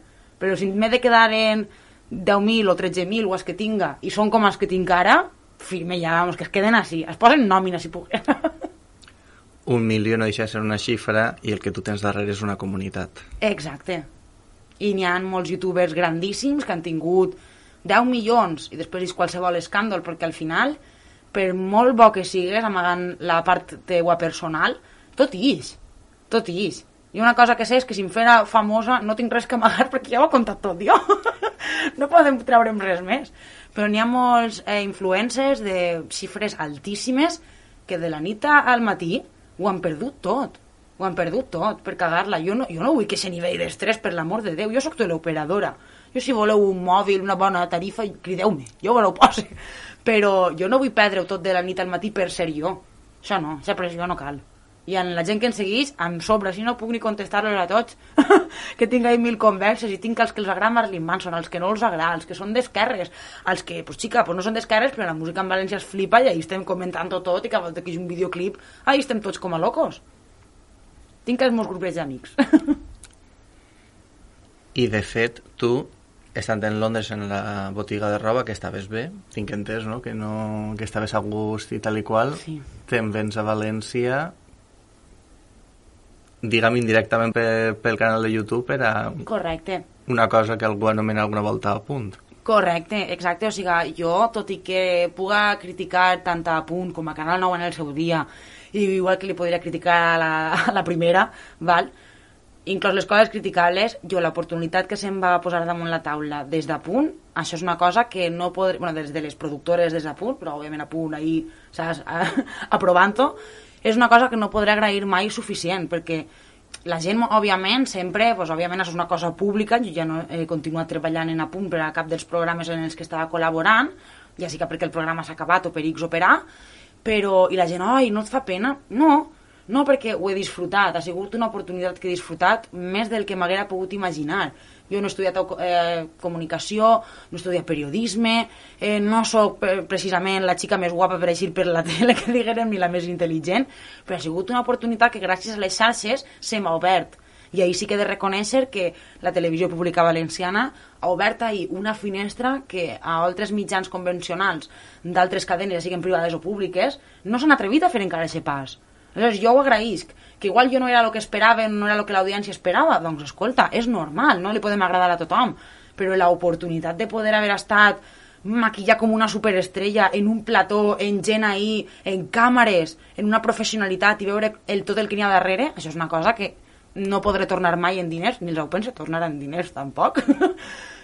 Però si m'he de quedar en deu mil o tretze mil o els que tinga i són com els que tinc ara, firme ja, vamos, que es queden així. Es posen nòmina, si poguera. Un milió no deixa de ser una xifra i el que tu tens darrere és una comunitat. Exacte. I n'hi ha molts youtubers grandíssims que han tingut deu milions i després és qualsevol escàndol, perquè al final, per molt bo que sigues amagant la part teua personal, tot ix. Tot ix. I una cosa que sé és que si em fera famosa no tinc res que amagar perquè ja ho he contat tot jo. No podem treure'm res més. Però n'hi ha molts eh, influencers de xifres altíssimes que de la nit al matí ho han perdut tot, ho han perdut tot per cagar-la. Jo no, jo no vull que aquest nivell d'estrès, per l'amor de Déu, jo soc teleoperadora. Jo si voleu un mòbil, una bona tarifa, crideu-me, jo me l'ho poso. Però jo no vull perdre-ho tot de la nit al matí per ser jo. Això no, aquesta pressió no cal. I en la gent que em segueix, em sobra, si no puc ni contestar-los a tots, que tinc ahí mil converses, i tinc els que els agrada Marilyn Manson, els que no els agrada, els que són d'esquerres, els que, pues xica, pues no són d'esquerres, però la música en València es flipa i ahí estem comentant tot, i cada volta que hi ha un videoclip, ahí estem tots com a locos. Tinc els meus grups d'amics. I de fet, tu, estant en Londres en la botiga de roba, que estaves bé, tinc entès, no? Que, no, que estaves a gust i tal i qual, sí. Te'n vens a València, diguem indirectament per, pel canal de YouTube, era correcte. Una cosa que algú anomena alguna volta a punt. Correcte, exacte. O sigui, jo, tot i que puga criticar tant a Punt com a Canal nou en el seu dia, i igual que li podria criticar a la, a la primera, val? Inclús les coses criticables, jo l'oportunitat que se'm va posar damunt la taula des de Punt, això és una cosa que no podré... Bueno, des de les productores des de Punt, però òbviament a Punt ahir, saps, aprovant-ho, és una cosa que no podré agrair mai suficient, perquè la gent, òbviament, sempre, doncs, òbviament, això és una cosa pública, jo ja no he continuat treballant en A Punt per a cap dels programes en els que estava col·laborant, ja sí que perquè el programa s'ha acabat o per X o per A, però, i la gent, oi, no et fa pena? No, no, perquè ho he disfrutat, ha sigut una oportunitat que he disfrutat més del que m'haguera pogut imaginar. Jo no he estudiat eh, comunicació, no he estudiat periodisme, eh, no sóc precisament la xica més guapa per eixir per la tele, que diguem, ni la més intel·ligent, però ha sigut una oportunitat que gràcies a les xarxes se m'ha obert. I ahir sí que he de reconèixer que la televisió pública valenciana ha obert ahir una finestra que a altres mitjans convencionals d'altres cadenes, ja siguin privades o públiques, no s'han atrevit a fer encara aquest pas. Aleshores, jo ho agraïsc, que igual jo no era el que esperava, no era el que l'audiència esperava, doncs escolta, és normal, no li podem agradar a tothom, però l'oportunitat de poder haver estat maquillat com una superestrella en un plató, en gent ahí, en càmeres, en una professionalitat i veure el, tot el que n'hi ha darrere, això és una cosa que no podré tornar mai en diners, ni els ho penso tornar en diners tampoc,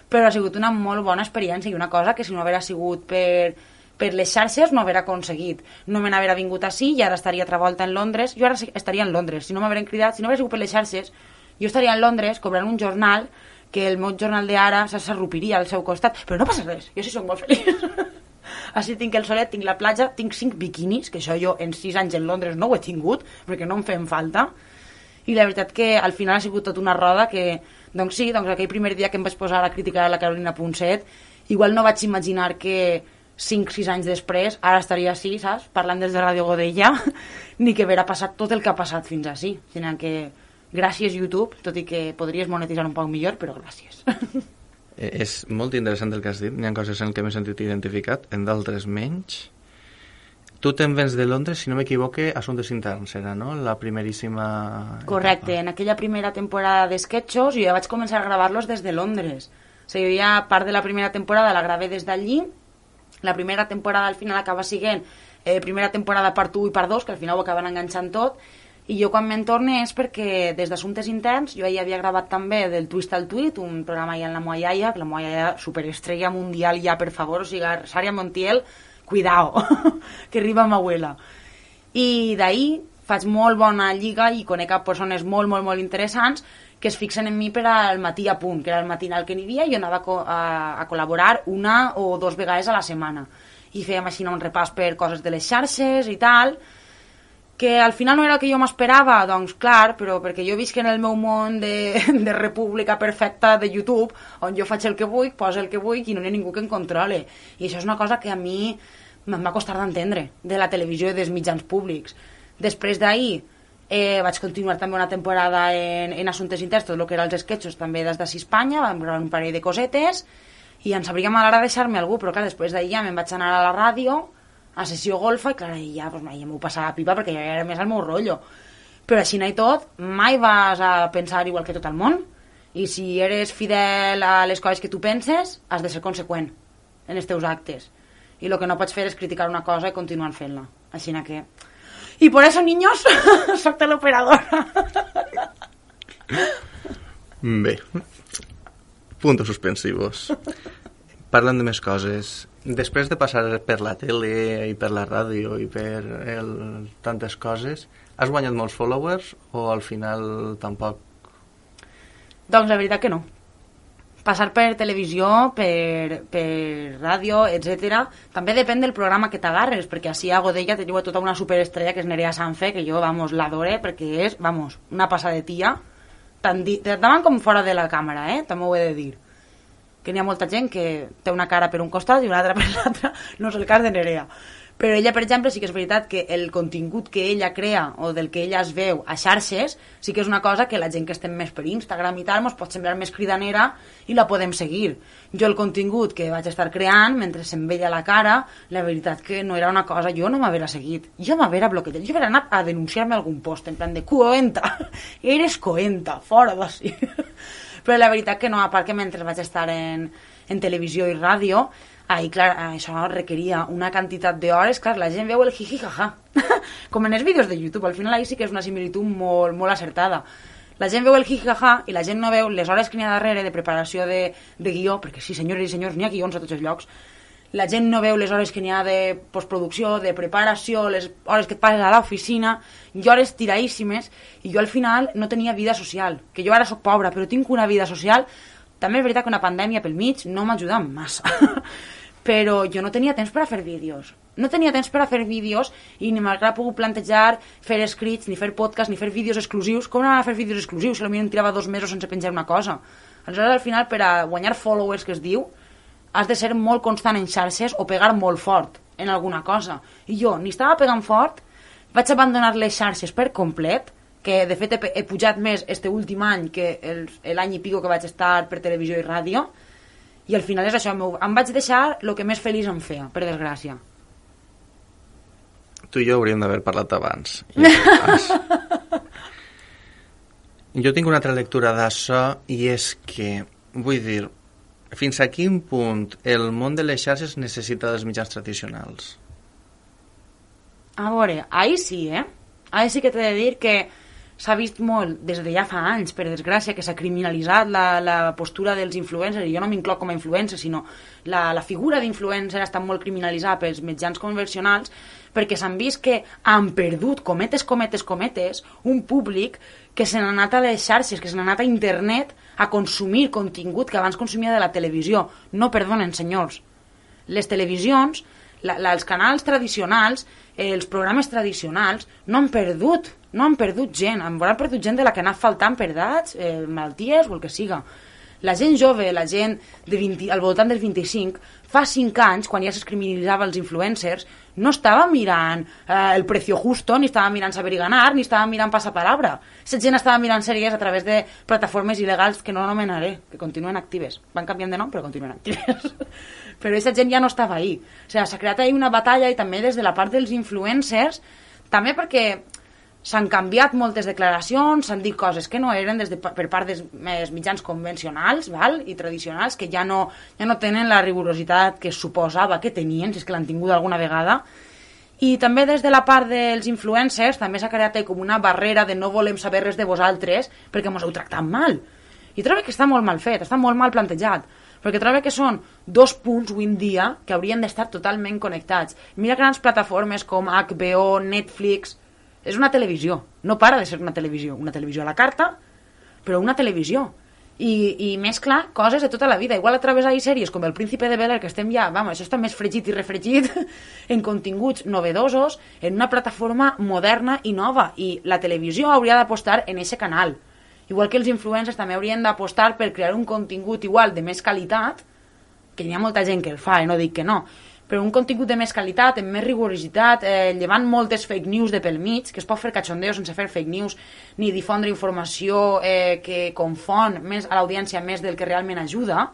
però ha sigut una molt bona experiència i una cosa que si no haguera sigut per... per les xarxes no haver aconseguit. No me n'haver vingut així i ara estaria altra volta en Londres. Jo ara estaria en Londres. Si no m'hagueren cridat, si no hagués sigut per les xarxes, jo estaria en Londres cobrant un jornal que el meu jornal d'ara s'arrupiria al seu costat. Però no passa res, jo sí soc molt feliç. Així tinc el solet, tinc la platja, tinc cinc biquinis, que això jo en sis anys en Londres no ho he tingut, perquè no em feien falta. I la veritat que al final ha sigut tot una roda que, doncs sí, doncs aquell primer dia que em vaig posar a criticar a la Carolina Ponset, igual no vaig imaginar que cinc sis anys després ara estaria així, saps? Parlant des de Ràdio Godella, ni que haver passat tot el que ha passat fins així. Sinó que gràcies YouTube, tot i que podries monetitzar un poc millor, però gràcies. És molt interessant el que has dit. Hi ha coses en què m'he sentit identificat, en d'altres menys. Tu te'n vens de Londres, si no m'equivoque, Assumptes Interns era, no? La primeríssima... Correcte, etapa. En aquella primera temporada d'esquetxos jo ja vaig començar a gravar-los des de Londres. O sigui, jo ja part de la primera temporada la gravé des d'allí. La primera temporada al final acaba siguent eh, primera temporada part u i part dos, que al final ho acaben enganxant tot. I jo quan me'n torne és perquè des d'Assumptes Interns jo ja havia gravat també del Twist al Tweet, un programa ja en la moa iaia, que la moa iaia superestrella mundial ja, per favor, o sigui, Sària Montiel, cuidao, que arriba ma abuela. I d'ahir faig molt bona lliga i conec a persones molt, molt, molt interessants que es fixen en mi per al matí a punt, que era el matinal que n'hi havia, i jo anava a, a, a col·laborar una o dos vegades a la setmana. I fèiem així un repàs per coses de les xarxes i tal, que al final no era el que jo m'esperava, doncs clar, però perquè jo visc en el meu món de, de república perfecta de YouTube, on jo faig el que vull, poso el que vull i no hi ha ningú que em controle. I això és una cosa que a mi em va costar d'entendre, de la televisió i dels mitjans públics. Després d'ahir eh, vaig continuar també una temporada en, en Assumptes Interns, tot el que eren els esquetxos també des d'Ací Espanya, vam gravar un parell de cosetes i em sabria mal ara deixar-me algú, però clar, després d'ahir ja me'n vaig anar a la ràdio, a sessió golfa, i clar, ja, pues, ja m'ho passava a pipa perquè ja era més el meu rotllo. Però així i tot, mai vas a pensar igual que tot el món, i si eres fidel a les coses que tu penses, has de ser conseqüent en els teus actes. I el que no pots fer és criticar una cosa i continuar fent-la. Així que... I por eso, niños, soc teleoperadora. Bé, puntos suspensivos. Parlant de més coses, després de passar per la tele i per la ràdio i per el, tantes coses, has guanyat molts followers o al final tampoc? Doncs la veritat que no. Passar per televisió, per, per ràdio, etcètera, també depèn del programa que t'agarres, perquè així a Godella teniu tota una superestrella que és Nerea Sanfe, que jo, vamos, l'adore, perquè és, vamos, una passadetia, tant davant com fora de la càmera, eh? També ho he de dir. Que n'hi ha molta gent que té una cara per un costat i una altra per l'altra, no és el cas de Nerea. Però ella, per exemple, sí que és veritat que el contingut que ella crea o del que ella es veu a xarxes sí que és una cosa que la gent que estem més per Instagram i tal ens pot semblar més cridanera i la podem seguir. Jo el contingut que vaig estar creant mentre se'm veia la cara, la veritat que no era una cosa, jo no m'havera seguit, jo m'havera bloquejat, jo havera anat a denunciar-me algun post en plan de coenta, eres coenta, fora d'ací. Però la veritat que no, a part que mentre vaig estar en, en televisió i ràdio, ahí, clar, això requeria una quantitat d'hores, clar, la gent veu el jiji-jaja, com en els vídeos de YouTube, al final ahí sí que és una similitud molt, molt acertada. La gent veu el jiji-jaja i la gent no veu les hores que n'hi ha darrere de preparació de, de guió, perquè sí, senyores i senyors, n'hi ha guions a tots els llocs, la gent no veu les hores que n'hi ha de postproducció, de preparació, les hores que et passes a l'oficina, i hores tiradíssimes, i jo al final no tenia vida social, que jo ara soc pobra, però tinc una vida social. També és veritat que una pandèmia pel mig no m'ha ajudat massa, però jo no tenia temps per a fer vídeos. No tenia temps per a fer vídeos i ni m'hagués pogut plantejar fer escrits, ni fer podcast, ni fer vídeos exclusius. Com anaven a fer vídeos exclusius si potser em tirava dos mesos sense penjar una cosa? Aleshores, al final, per a guanyar followers, que es diu, has de ser molt constant en xarxes o pegar molt fort en alguna cosa. I jo ni estava pegant fort, vaig abandonar les xarxes per complet, que de fet he, he pujat més este últim any que l'any i pico que vaig estar per televisió i ràdio, i al final és això, em vaig deixar el que més feliç em feia, per desgràcia. Tu i jo hauríem d'haver parlat abans. Jo tinc una altra lectura d'això, i és que, vull dir, fins a quin punt el món de les xarxes necessita dels mitjans tradicionals? A veure, ahí sí, eh? Ahí sí que t'he de dir que s'ha vist molt, des de ja fa anys, per desgràcia, que s'ha criminalitzat la, la postura dels influencers, i jo no m'incloc com a influencer, sinó la, la figura d'influencer ha estat molt criminalitzada pels mitjans convencionals, perquè s'han vist que han perdut, cometes, cometes, cometes, un públic que se n'ha anat a les xarxes, que se n'ha anat a internet a consumir contingut que abans consumia de la televisió. No perdonen, senyors. Les televisions la, la, els canals tradicionals, eh, els programes tradicionals, no han perdut, no han perdut gent, han perdut gent de la que ha anat faltant per edats, eh, malalties o el que siga. La gent jove, la gent de vint, al voltant dels vint-i-cinc, fa cinc anys, quan ja s'escriminalitzava els influencers, no estava mirant eh, El Precio Justo, ni estava mirant Saber y Ganar, ni estava mirant Passapalabra. Aquesta gent estava mirant sèries a través de plataformes il·legals que no anomenaré, que continuen actives. Van canviant de nom, però continuen actives. Però aquesta gent ja no estava ahí. O sigui, s'ha creat ahí una batalla, i també des de la part dels influencers, també perquè s'han canviat moltes declaracions, s'han dit coses que no eren des de, per part dels mitjans convencionals, val? I tradicionals, que ja no, ja no tenen la rigorositat que es suposava que tenien, si és que l'han tingut alguna vegada. I també des de la part dels influencers també s'ha creat com una barrera de no volem saber res de vosaltres perquè mos heu tractat mal. I trobo que està molt mal fet, està molt mal plantejat, perquè trobo que són dos punts avui en dia que haurien d'estar totalment connectats. Mira grans plataformes com H B O, Netflix. És una televisió, no para de ser una televisió, una televisió a la carta, però una televisió. I, i mescla coses de tota la vida. Igual a través de sèries com El Príncipe de Bel-Air, que estem ja, vamos, això està més fregit i refregit, en continguts novedosos, en una plataforma moderna i nova. I la televisió hauria d'apostar en aquest canal. Igual que els influencers també haurien d'apostar per crear un contingut igual de més qualitat, que hi ha molta gent que el fa, eh, no dic que no, però un contingut de més qualitat, amb més rigorositat, eh, llevant moltes fake news de pel mig, que es pot fer cachondeo sense fer fake news, ni difondre informació eh, que confon més a l'audiència més del que realment ajuda,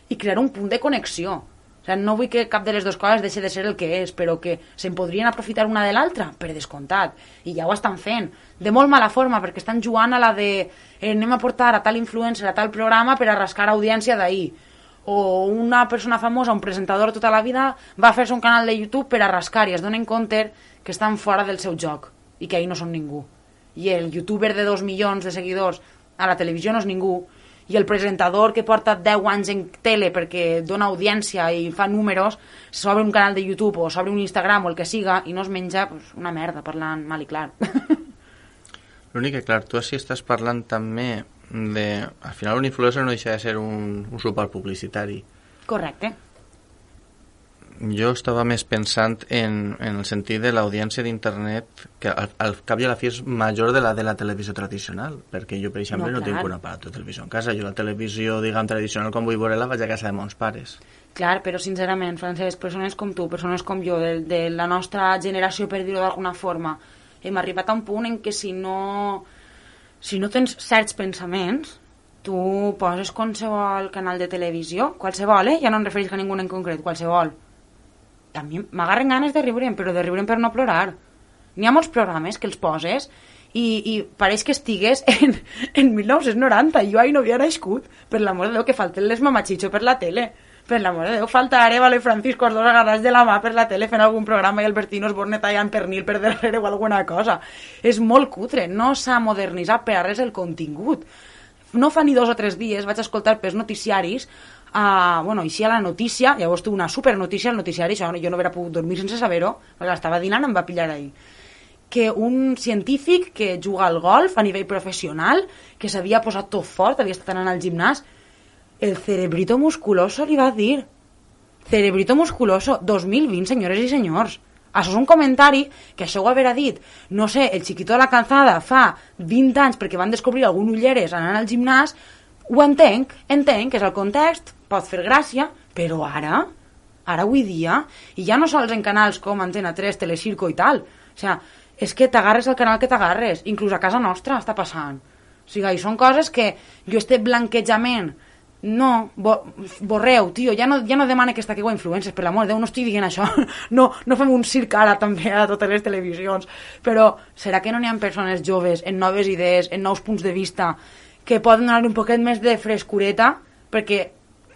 i crear un punt de connexió. O sigui, no vull que cap de les dues coses deixi de ser el que és, però que se'n podrien aprofitar una de l'altra, per descomptat, i ja ho estan fent, de molt mala forma, perquè estan jugant a la de eh, anem a portar a tal influencer a tal programa per a rascar audiència d'ahir, o una persona famosa, un presentador tota la vida, va fer-se un canal de YouTube per a rascar i es donen compte que estan fora del seu joc i que ahir no són ningú. I el youtuber de dos milions de seguidors a la televisió no és ningú, i el presentador que porta deu anys en tele perquè dona audiència i fa números, s'obre un canal de YouTube o s'obre un Instagram o el que siga i no es menja pues, una merda, parlant mal i clar. L'únic que, clar, tu així estàs parlant també de... Al final un influencer no deixa de ser un, un suport publicitari. Correcte. Jo estava més pensant en, en el sentit de l'audiència d'internet, que al, al cap i a la fi és major de la de la televisió tradicional, perquè jo, per exemple, no, no tinc un aparato de televisió en casa. Jo la televisió, diguem, tradicional, com vull veure-la, vaig a casa de mons pares. Clar, però sincerament, Francesc, persones com tu, persones com jo, de, de la nostra generació, per dir-ho d'alguna forma, hem arribat a un punt en què si no... Si no tens certs pensaments, tu poses qualsevol canal de televisió, qualsevol, eh? Ja no em refereixo a ningú en concret, qualsevol. A mi m'agarren ganes de riure'm, però de riure'm per no plorar. N'hi ha molts programes que els poses i, i pareix que estigues en, en mil nou-cents noranta. Jo ahir no havia nascut. Per l'amor de Déu, que falten les mamachicho per la tele. Per l'amor de Déu, falta Arevalo i Francisco, els dos agarrats de la mà per la tele fent algun programa i Albertino Osborne tallant pernil per darrere o alguna cosa. És molt cutre, no s'ha modernitzat per a res el contingut. No fa ni dos o tres dies vaig escoltar pels noticiaris, uh, bueno, així a la notícia, llavors tu una supernotícia al noticiari, això jo no hauria pogut dormir sense saber-ho, perquè l'estava dinant, em va pillar ahir, que un científic que juga al golf a nivell professional, que s'havia posat tot fort, havia estat anant al gimnàs, el cerebrito musculoso li va dir. Cerebrito musculoso, dos mil vint, senyores i senyors. Això és un comentari que això ho haurà dit, no sé, el Chiquito de la Calzada fa vint anys perquè van descobrir algun ulleres anant al gimnàs, ho entenc, entenc que és el context, pot fer gràcia, però ara, ara avui dia, i ja no sols en canals com Antena tres, Telecirco i tal, o sigui, és que t'agarres al canal que t'agarres, inclús a casa nostra està passant. O sigui, i són coses que jo este blanquejament no, bo, borreu, tio, ja no, ja no demana que estaqueu a influencers, per l'amor de Déu, no estic dient això, no, no fem un circ ara també a totes les televisions, però serà que no n'hi ha persones joves, en noves idees, en nous punts de vista, que poden donar un poquet més de frescureta, perquè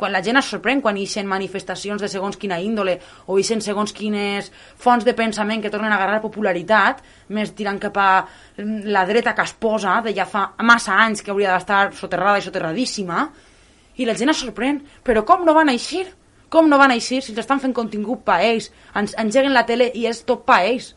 quan la gent es sorprèn, quan ixen manifestacions de segons quina índole, o ixen segons quines fonts de pensament que tornen a agarrar popularitat, més tirant cap a la dreta que es posa, de ja fa massa anys que hauria d'estar soterrada i soterradíssima, i la gent es sorprèn, però com no van eixir? Com no van eixir si estan fent contingut pa ells? Ens engeguen la tele i és tot pa ells.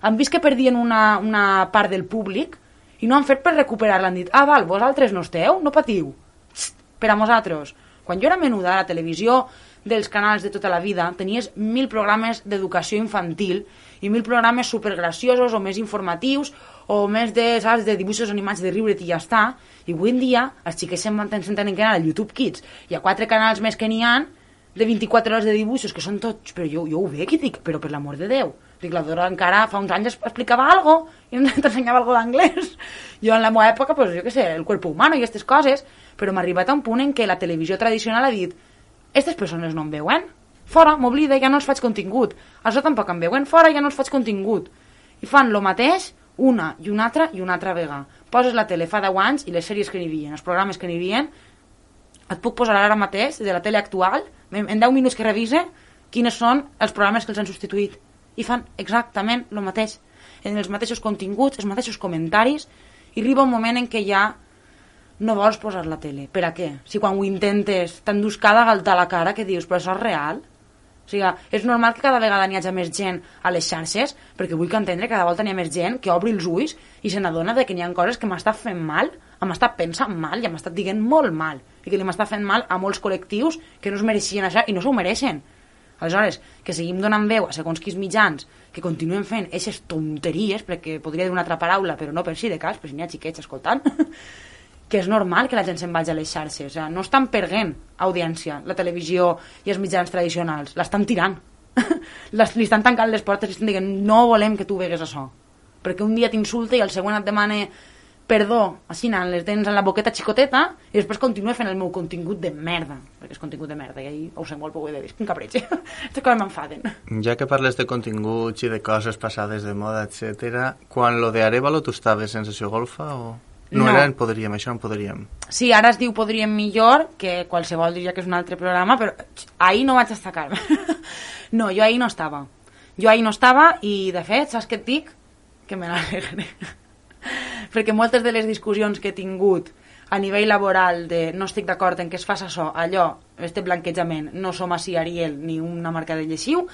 Han vist que perdien una, una part del públic i no han fet per recuperar-la. Han dit, ah, val, vosaltres no esteu? No patiu. Psst, per a nosaltres. Quan jo era menuda a la televisió dels canals de tota la vida, tenies mil programes d'educació infantil i mil programes supergraciosos o més informatius o més de, saps, de dibuixos animats de riure't i ja està. I avui en dia els xiquets se'n tenen que anar al YouTube Kids. Hi ha quatre canals més que n'hi ha de vint-i-quatre hores de dibuixos, que són tots... Però jo, jo ho veig i dic, però per l'amor de Déu. Dic, la Dora encara fa uns anys explicava algo i t'ensenyava algo d'anglès. Jo en la meva època, pues, jo què sé, el cuerpo humano i aquestes coses, però m'ha arribat a un punt en què la televisió tradicional ha dit aquestes persones no em veuen, fora, m'oblida, ja no els faig contingut. Això tampoc em veuen, fora, ja no els faig contingut. I fan el mateix una i una altra i una altra vegada. Poses la tele fa deu anys i les sèries que n'hi havia, els programes que n'hi havia, et puc posar ara mateix de la tele actual, en deu minuts que revise, quines són els programes que els han substituït. I fan exactament el mateix, en els mateixos continguts, els mateixos comentaris, i arriba un moment en què ja no vols posar la tele. Per a què? Si quan ho intentes t'endús cada galta a la cara que dius, però això és real? O sigui, és normal que cada vegada n'hi hagi més gent a les xarxes, perquè vull que entendre que cada volta n'hi ha més gent que obri els ulls i se n'adona que n'hi ha coses que m'està fent mal, m'està pensant mal i m'està dient molt mal, i que li m'està fent mal a molts col·lectius que no es mereixien això i no s'ho mereixen. Aleshores, que seguim donant veu a segons quins mitjans que continuen fent aquestes tonteries, perquè podria dir una altra paraula, però no per si de cas, però si n'hi ha xiquets escoltant, que és normal que la gent se'n vagi a les xarxes. O sigui, no estan perdent audiència, la televisió i els mitjans tradicionals, l'estan tirant. les, li estan tancant les portes i estan dient no volem que tu vegues això. Perquè un dia t'insulta i el següent et demana perdó, així anant les dents en la boqueta xicoteta i després continua fent el meu contingut de merda, perquè és contingut de merda i ahí ho sé molt, però ho he de dir, és un capritx. Aquestes coses m'enfaden. Ja que parles de continguts i de coses passades de moda, etcètera, quan lo de Arévalo tu estaves sensació golfa o...? No, no era en Podríem, això en Podríem. Sí, ara es diu Podríem millor, que qualsevol diria que és un altre programa, però ahir no vaig destacar-me. No, jo ahir no estava. Jo ahir no estava i, de fet, saps què et dic? Que me n'alegre. Perquè moltes de les discussions que he tingut a nivell laboral de no estic d'acord en què es faci això, allò, este blanquejament, no som així Ariel ni una marca de lleixiu,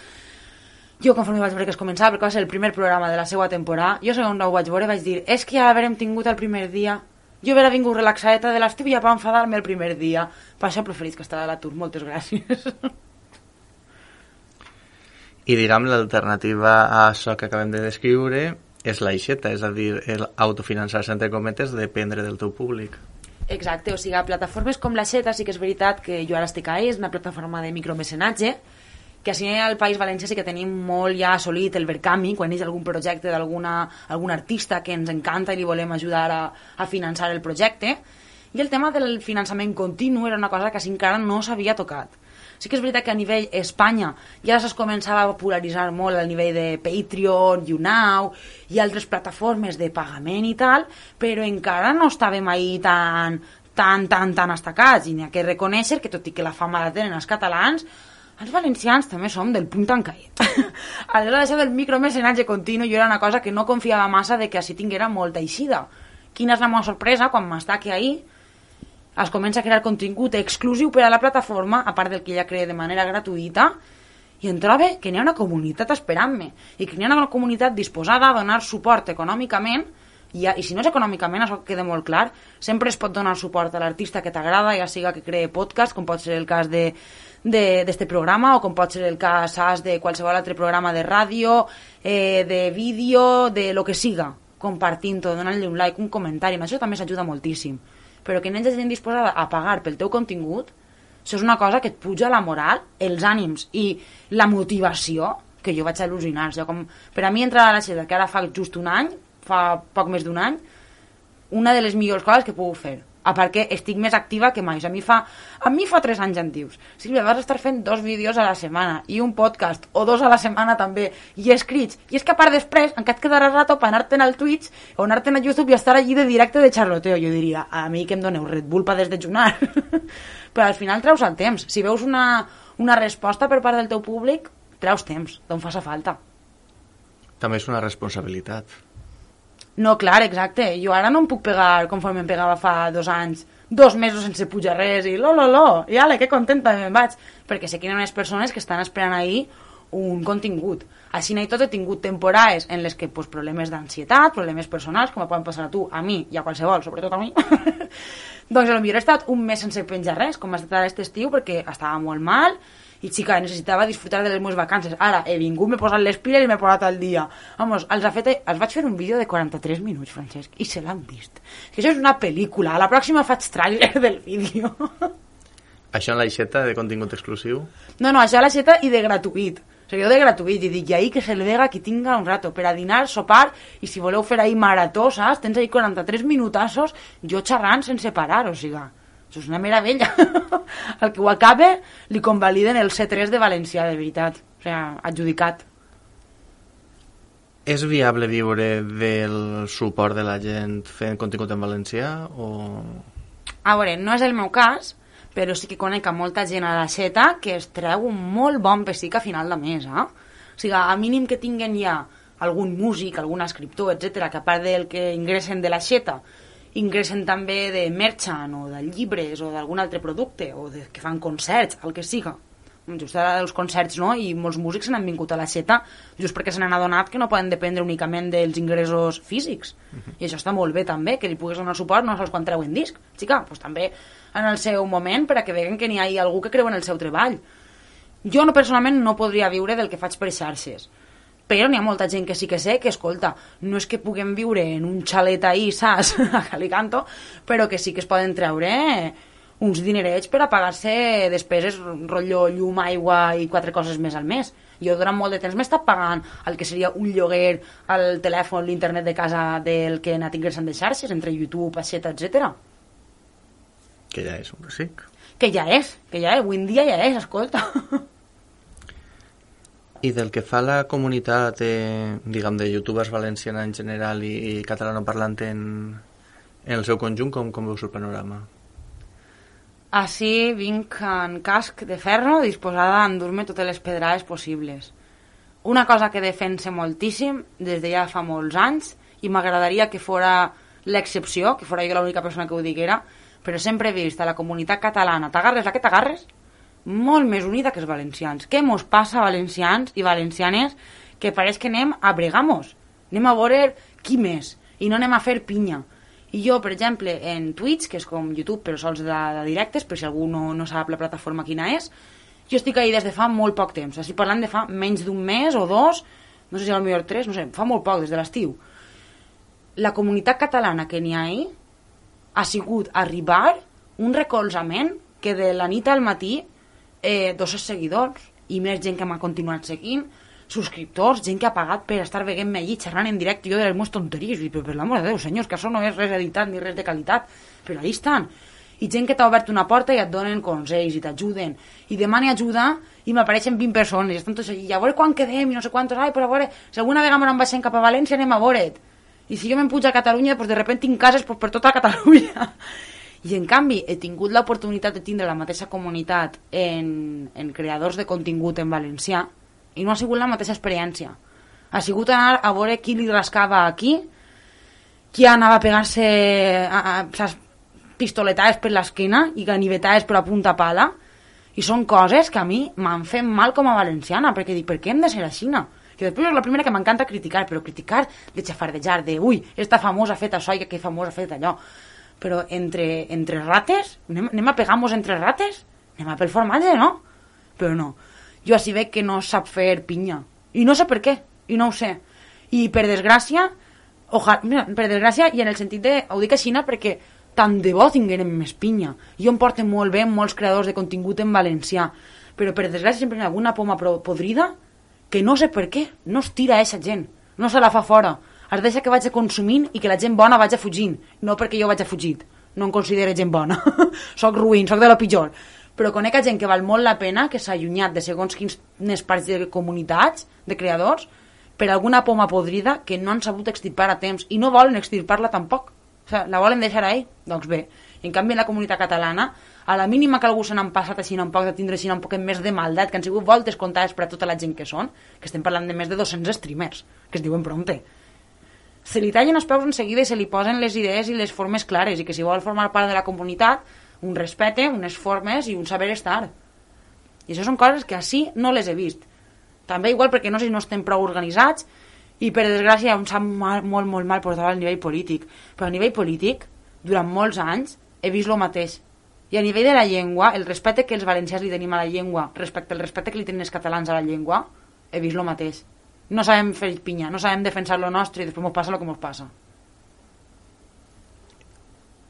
jo conforme vaig veure que es començava, perquè va ser el primer programa de la seva temporada, jo segons ho vaig veure vaig dir, és que ja l'haverem tingut el primer dia, jo haver vingut relaxadeta de l'estiu ja per enfadar-me el primer dia, per això preferís que estava a l'atur, moltes gràcies. I diram l'alternativa a això que acabem de descriure és l'aixeta, és a dir, autofinançar-se entre cometes, dependre del teu públic. Exacte, o sigui, a plataformes com l'aixeta sí que és veritat que jo ara estic a és una plataforma de micromecenatge, que així al País Valencià sí que tenim molt ja assolit el Verkami, quan és algun projecte d'alguna algun artista que ens encanta i li volem ajudar a, a finançar el projecte, i el tema del finançament continu era una cosa que encara no s'havia tocat. Sí que és veritat que a nivell Espanya ja es començava a popularitzar molt al nivell de Patreon, YouNow i altres plataformes de pagament i tal, però encara no estàvem ahí tan, tan, tan, tan estacats, i n'hi ha que reconèixer que tot i que la fama la tenen els catalans, els valencians també som del punt tancaet. Aleshores, això del micromecenatge continu jo era una cosa que no confiava massa de que així tinguera molta eixida. Quina és la meva sorpresa quan m'està que ahir es comença a crear contingut exclusiu per a la plataforma, a part del que ja crea de manera gratuïta, i em trobo que n'hi ha una comunitat esperant-me, i que n'hi ha una comunitat disposada a donar suport econòmicament, i, i si no és econòmicament, això queda molt clar, sempre es pot donar suport a l'artista que t'agrada, ja siga que cree podcast, com pot ser el cas de d'este programa, o com pot ser el cas saps, de qualsevol altre programa de ràdio, eh, de vídeo, de lo que siga, compartint-ho, donant-li un like, un comentari, amb això també s'ajuda moltíssim. Però que n'hi hagi gent disposada a pagar pel teu contingut, això és una cosa que et puja la moral, els ànims i la motivació, que jo vaig al·lucinar. O sigui, com, per a mi entrar a la xeta, que ara fa just un any, fa poc més d'un any, una de les millors coses que puc fer. A part que estic més activa que mai. A mi fa, a mi fa tres anys em dius, Sílvia, vas estar fent dos vídeos a la setmana i un podcast, o dos a la setmana també, i escrits. I és que a part després encara et quedarà rato per anar-te'n al Twitch o anar-te'n a YouTube i estar allí de directe de xarloteo. Jo diria, a mi que em doneu Red Bull per desdejunar. Però al final treus el temps. Si veus una, una resposta per part del teu públic, treus temps, d'on faça falta. També és una responsabilitat. No, clar, exacte. Jo ara no em puc pegar conforme em pegava fa dos anys, dos mesos sense pujar res i lo, lo, lo, i ale, que contenta me'n vaig. Perquè sé que hi ha unes persones que estan esperant ahir un contingut. Així i tot he tingut temporades en les que pues, problemes d'ansietat, problemes personals, com poden passar a tu, a mi i a qualsevol, sobretot a mi, doncs potser he estat un mes sense penjar res, com ha estat aquest estiu, perquè estava molt mal i, xica, necessitava disfrutar de les meves vacances. Ara he vingut, m'he posat les piles i m'he posat al dia. Vamos, els, ha fet, els vaig fer un vídeo de quaranta-tres minuts, Francesc, i se l'han vist. Que això és una pel·lícula. A la pròxima faig tràiler del vídeo. Això en l'aixeta de contingut exclusiu? No, no, això a l'aixeta i de gratuït. O sigui, jo de gratuït, i dic, i ahí que se le vega qui tinga un rato per a dinar, sopar, i si voleu fer ahí marató, saps? Tens ahí quaranta-tres minutassos, jo xerrant sense parar, o sigui, això és una meravella. El que ho acabe li convaliden el C tres de València, de veritat. O sigui, adjudicat. És viable viure del suport de la gent fent contingut en valencià, o...? A veure, no és el meu cas, però sí que conec a molta gent a l'aixeta que es treu un molt bon pessic a final de mes, eh? O sigui, a mínim que tinguen ja algun músic, algun escriptor, etcètera, que a part del que ingressen de l'aixeta, ingressen també de merchant o de llibres o d'algun altre producte, o de, que fan concerts, el que siga. Just ara dels concerts, no? I molts músics se n'han vingut a l'aixeta just perquè se n'han adonat que no poden dependre únicament dels ingressos físics. Uh-huh. I això està molt bé també, que li puguis donar suport no sols quan treuen disc. Xica, doncs també en el seu moment, per a que veguen que n'hi ha algú que creu en el seu treball. Jo no, personalment no podria viure del que faig per xarxes, però n'hi ha molta gent que sí que sé que, escolta, no és que puguem viure en un xalet ahí, saps, a Calicanto, però que sí que es poden treure uns dinerets per a pagar-se despeses, rotllo, llum, aigua i quatre coses més al mes. Jo durant molt de temps m'he estat pagant el que seria un lloguer, el telèfon, l'internet de casa del que he anat ingressant de xarxes, entre YouTube, aixeta, etcètera. Que ja és un pessic. Que ja és, que ja és, avui en dia ja és, escolta. I del que fa la comunitat, eh, diguem, de youtubers valenciana en general i, i catalanoparlant en, en el seu conjunt, com, com veus el panorama? Així vinc en casc de ferro, disposada a endur-me totes les pedrades possibles. Una cosa que defense moltíssim des de ja fa molts anys, i m'agradaria que fora l'excepció, que fora jo l'única persona que ho diguera, però sempre he vist a la comunitat catalana, t'agarres la que t'agarres, molt més unida que els valencians. Què mos passa, valencians i valencianes, que pareix que anem a bregamos, anem a veure qui més, i no anem a fer pinya. I jo, per exemple, en Twitch, que és com YouTube però sols de, de directes, per si algú no, no sap la plataforma quina és, jo estic ahí des de fa molt poc temps, estic parlant de fa menys d'un mes o dos, no sé si al millor tres, no sé, fa molt poc, des de l'estiu. La comunitat catalana que n'hi ha ahí ha sigut arribar un recolzament que de la nit al matí eh, dos seguidors i més gent que m'ha continuat seguint, subscriptors, gent que ha pagat per estar veient-me allí xerrant en directe, jo de les meves tonteries, i per, per l'amor de Déu, senyors, que això no és res editat ni res de qualitat, però allà estan. I gent que t'ha obert una porta i et donen consells i t'ajuden, i demani ajuda i m'apareixen vint persones, i estan tots allí, a veure quan quedem i no sé quantos, ai, però a veure, si alguna vegada me'n baixem cap a València anem a veure't. I si jo me'n puig a Catalunya, doncs de repente tinc cases doncs, per tota Catalunya. I en canvi he tingut l'oportunitat de tindre la mateixa comunitat en, en creadors de contingut en valencià, i no ha sigut la mateixa experiència. Ha sigut anar a veure qui li rascava aquí, qui anava a pegar-se a, a, a, pistoletades per l'esquena i ganivetades per a punta pala, i són coses que a mi m'han fet mal com a valenciana, perquè dic, per què hem de ser així? Que després és la primera que m'encanta criticar, però criticar de xafardejar, de ui, esta famosa ha fet això i aquell famós ha fet allò. Però entre, entre rates, anem, anem a pegar-nos entre rates? Anem a pel formatge, no? Però no. Jo així veig que no sap fer pinya. I no sé per què, i no ho sé. I per desgràcia, ojalà, mira, per desgràcia, i en el sentit de, ho dic així perquè tant de bo tinguem més pinya. Jo em porto molt bé molts creadors de contingut en valencià, però per desgràcia sempre hi ha alguna poma podrida que no sé per què, no es tira a aquesta gent, no se la fa fora. Es deixa que vagi consumint i que la gent bona vagi fugint, no perquè jo vagi fugit. No em considero gent bona. Soc ruïn, soc de lo pitjor. Però conec a gent que val molt la pena, que s'ha allunyat de segons quines parts de comunitats, de creadors, per alguna poma podrida que no han sabut extirpar a temps i no volen extirpar-la tampoc. O sigui, la volen deixar ahí? Doncs bé. I en canvi en la comunitat catalana, a la mínima que algú se n'han passat així un poc de tindre així un poc més de maldat, que han sigut voltes comptades per a tota la gent que són, que estem parlant de més de dos-cents streamers, que es diuen prompte. Se li tallen els peus en seguida i se li posen les idees i les formes clares, i que si vol formar part de la comunitat, un respecte, unes formes i un saber estar. I això són coses que així no les he vist. també igual perquè no sé si no estem prou organitzats i per desgràcia em sap mal, molt, molt mal portar al nivell polític, però a nivell polític durant molts anys he vist el mateix. I a nivell de la llengua, el respecte que els valencians li tenim a la llengua respecte al respecte que li tenen els catalans a la llengua, he vist el mateix. No sabem fer pinya, no sabem defensar lo nostre i després ens passa el que ens passa.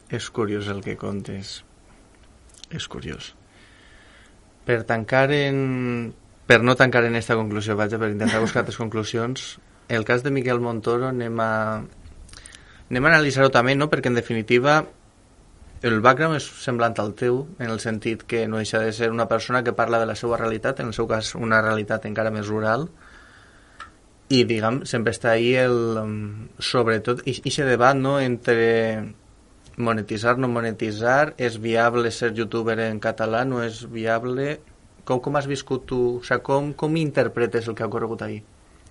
És curiós el que contes. És curiós. Per tancar en... Per no tancar en esta conclusió, vaja, per intentar buscar altres conclusions, el cas de Miquel Montoro anem a, anem a analitzar-ho també, no? Perquè en definitiva el background és semblant al teu, en el sentit que no deixa de ser una persona que parla de la seva realitat, en el seu cas una realitat encara més rural, i diguem, sempre està ahí el, sobretot, aquest debat, no?, entre monetitzar, no monetitzar, és viable ser youtuber en català, no és viable... Com, com has viscut tu? O sigui, com, com interpretes el que ha ocorregut ahir?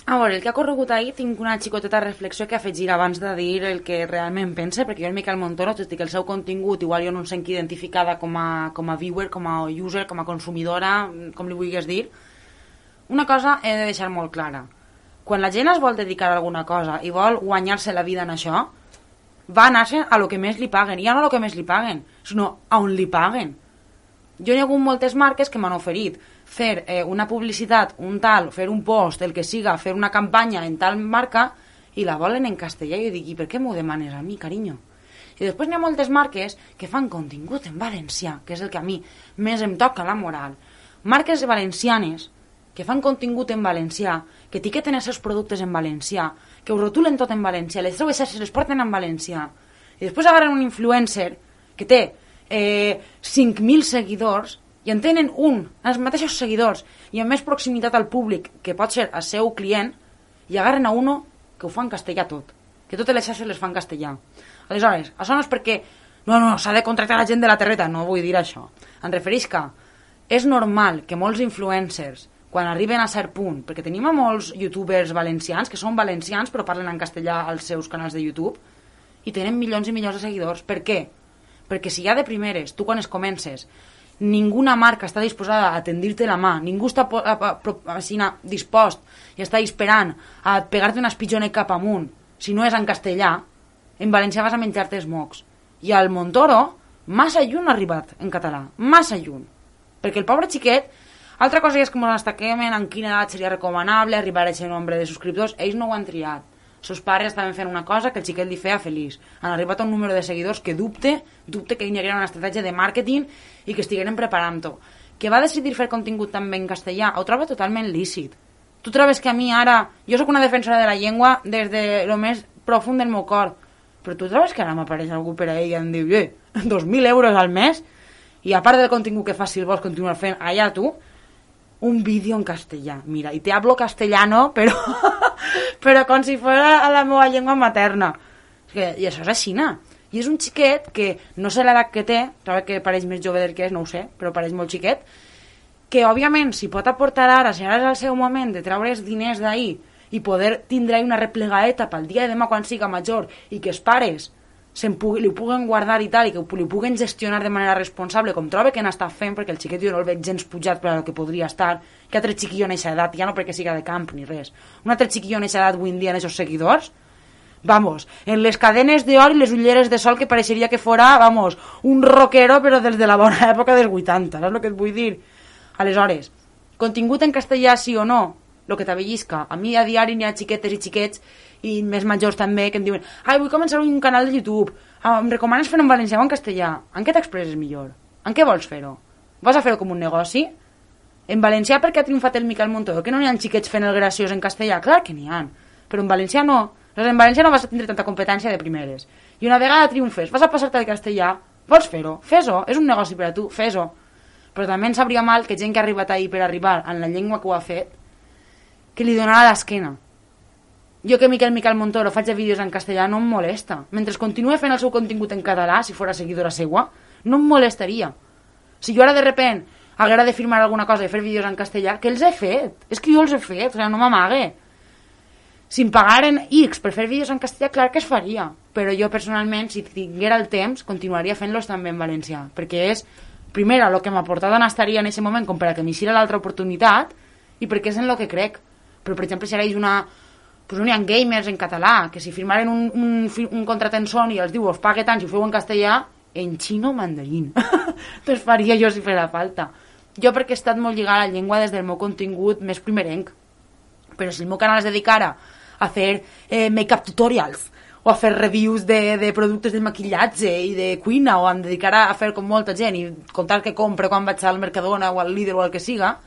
A veure, el que ha ocorregut ahir tinc una xicoteta reflexió que afegir abans de dir el que realment pense, perquè jo el Miquel Montoro, tot i que el seu contingut igual jo no em sent identificada com a, com a viewer, com a user, com a consumidora, com li vulguis dir, una cosa he de deixar molt clara. Quan la gent es vol dedicar a alguna cosa i vol guanyar-se la vida en això, va anar-se a lo que més li paguen, i ja no a lo que més li paguen, sinó a on li paguen. Jo hi ha hagut moltes marques que m'han oferit fer eh, una publicitat, un tal, fer un post, el que siga, fer una campanya en tal marca i la volen en castellà i jo dic, i per què m'ho demanes a mi, carinyo? I després hi ha moltes marques que fan contingut en valencià, que és el que a mi més em toca la moral. Marques valencianes que fan contingut en valencià, que etiqueten els seus productes en valencià, que ho rotulen tot en valencià, les seues xarxes les porten en valencià, i després agarren un influencer que té Eh, cinc mil seguidors i en tenen un, els mateixos seguidors i amb més proximitat al públic que pot ser el seu client, i agarren a uno que ho fa en castellà tot, que totes les xarxes les fan en castellà. Aleshores, això no és perquè no, no, s'ha de contractar la gent de la terreta, no vull dir això, em refereix que és normal que molts influencers quan arriben a cert punt, perquè tenim a molts youtubers valencians que són valencians però parlen en castellà als seus canals de YouTube i tenen milions i milions de seguidors. Per què? Perquè si ja de primeres, tu quan es comences, ninguna marca està disposada a tendir-te la mà, ningú està a, a, a, a, dispost i està esperant a pegar-te un espitjonet cap amunt, si no és en castellà, en valencià vas a menjar-te els mocs. I el Montoro, massa lluny ha arribat en català, massa lluny. Perquè el pobre xiquet, altra cosa és que ens destaquem en quina edat seria recomanable arribar a aquest nombre de subscriptors, ells no ho han triat. Sos pares estaven fent una cosa que el xiquet li feia feliç. Han arribat a un número de seguidors que dubte, dubte que hi haguera una estratègia de màrqueting i que estigueren preparant-ho. Que va decidir fer contingut també en castellà, ho trobo totalment lícit. Tu trobes que a mi ara, jo sóc una defensora de la llengua des de lo més profund del meu cor, però tu trobes que ara m'apareix algú per ahí i em diu, eh, dos mil euros al mes, i a part del contingut que fas, si el vols continuar fent allà tu, un vídeo en castellà, mira, i te hablo castellano, però però com si fos a la meva llengua materna. I això és així, no? I és un xiquet que no sé l'edat que té, trobo que pareix més jove del que és, no ho sé, però pareix molt xiquet, que òbviament si pot aportar ara, si ara és el seu moment de treure els diners d'ahir i poder tindre una replegaeta pel dia de demà quan siga major i que els pares pugui, li puguen guardar i tal, i que li puguen gestionar de manera responsable, com trobe que n'està fent, perquè el xiquet jo no el veig gens pujat per al que podria estar, que altre xiquillo en eixa edat, ja no perquè siga de camp ni res, un altre xiquillo en eixa edat avui en dia en aquests seguidors, vamos, en les cadenes d'or i les ulleres de sol que pareixeria que fora, vamos, un rockero però des de la bona època dels vuitanta, saps el que et vull dir? Aleshores, contingut en castellà sí o no, el que t'avellisca, a mi a diari n'hi ha xiquetes i xiquets i més majors també que em diuen, ai, vull començar un canal de YouTube, ah, em recomanes fer-ho en valencià o en castellà? En què t'expresses millor? En què vols fer-ho? Vas a fer-ho com un negoci? En valencià per què ha triomfat el Miquel Montoro? Que no n'hi ha xiquets fent el graciós en castellà? Clar que n'hi ha, però en valencià no. En valencià no vas a tindre tanta competència de primeres. I una vegada triomfes, vas a passar-te al castellà, vols fer-ho? Fes-ho, és un negoci per a tu, fes-ho. Però també ens sabria mal que gent que ha arribat ahir per arribar en la llengua que ho ha fet, que li donarà l'esquena. Jo que Miquel Miquel Montoro faig vídeos en castellà no em molesta. Mentre continue fent el seu contingut en català, si fora seguidora seua, no em molestaria. Si jo ara de repent haguera de firmar alguna cosa i fer vídeos en castellà, que els he fet. És que jo els he fet, o sigui, no m'amague. Si em pagaren X per fer vídeos en castellà, clar que es faria. Però jo personalment, si tinguera el temps, continuaria fent-los també en valencià. Perquè és, primera, el que m'ha portat on estaria en aquest moment com per a que m'hicira l'altra oportunitat, i perquè és en el que crec. Però, per exemple, si ara hi ha una... Pues no hi ha gamers en català, que si firmaren un, un, un contrat en Sony i els diu, us pague tant si ho feu en castellà, en xino mandarín. Doncs faria jo si fera falta. Jo perquè he estat molt lligada a la llengua des del meu contingut més primerenc. Però si el meu canal es dedicara a fer eh, make-up tutorials o a fer reviews de, de productes de maquillatge i de cuina, o em dedicara a fer com molta gent i contar què compro quan vaig al Mercadona o al Lidl o al que siga,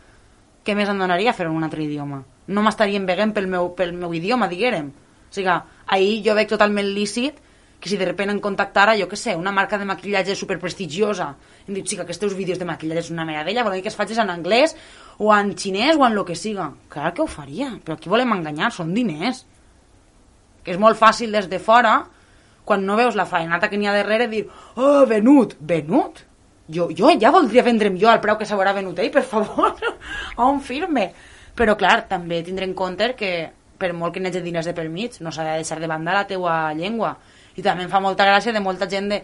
què més em donaria fer en un altre idioma? No m'estarien veient pel meu, pel meu idioma, diguérem. O sigui, ahir jo veig totalment lícit que si de repente em contactara, jo què sé, una marca de maquillatge superprestigiosa, em diu, xica, que els teus vídeos de maquillatge és una meravella, volem que es facis en anglès o en xinès o en lo que siga. Clar que ho faria, però aquí volem enganyar, són diners. Que és molt fàcil des de fora, quan no veus la faenata que n'hi ha darrere, dir, oh, venut, venut? Jo, jo ja voldria vendre'm jo al preu que s'haurà venut ell, per favor, on firme? Però, clar, també tindre en compte que, per molt que n'hi hagi diners de per mig, no s'ha de deixar de banda la teua llengua. I també em fa molta gràcia de molta gent de,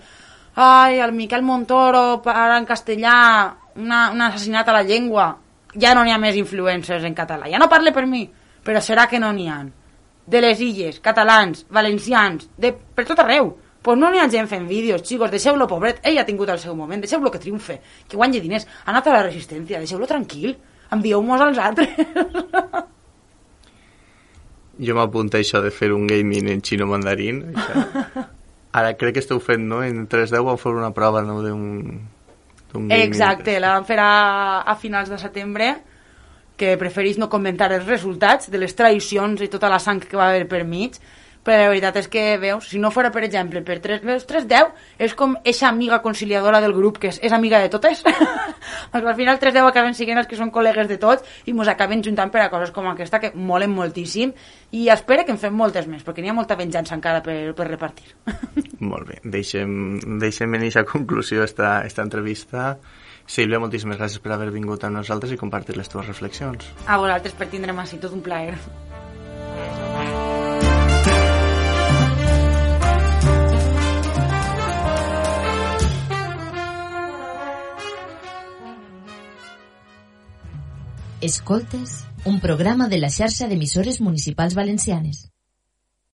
ai, el Miquel Montoro para en castellà, una, un assassinat a la llengua. Ja no n'hi ha més influencers en català, ja no parle per mi, però serà que no n'hi ha. De les illes, catalans, valencians, de, per tot arreu. Pues no n'hi ha gent fent vídeos, xicos, deixeu-lo pobret, ell ha tingut el seu moment, deixeu-lo que triomfe, que guanyi diners, ha anat a la resistència, deixeu-lo tranquil, envieu-mos als altres. Jo m'apunto a això de fer un gaming en xino mandarín. Ara crec que esteu fent, no? En tres deu vam fer una prova, no?, d'un gaming. Exacte, la vam fer a, a finals de setembre, que preferís no comentar els resultats de les traïcions i tota la sang que va haver per mig, però la veritat és que, veus, si no fora, per exemple, per tres deu, és com eixa amiga conciliadora del grup, que és, és amiga de totes. Doncs al final tres deu acaben siguent els que són col·legues de tots i mos acaben juntant per a coses com aquesta que molen moltíssim, i espero que en fem moltes més, perquè n'hi ha molta venjança encara per, per repartir. Molt bé, deixem, deixem en aquesta conclusió esta, esta entrevista. Sílvia, moltíssimes gràcies per haver vingut amb nosaltres i compartir les teves reflexions. A vosaltres per tindre'm així, tot un plaer. Escoltes, un programa de la xarxa d'emissores municipals valencianes.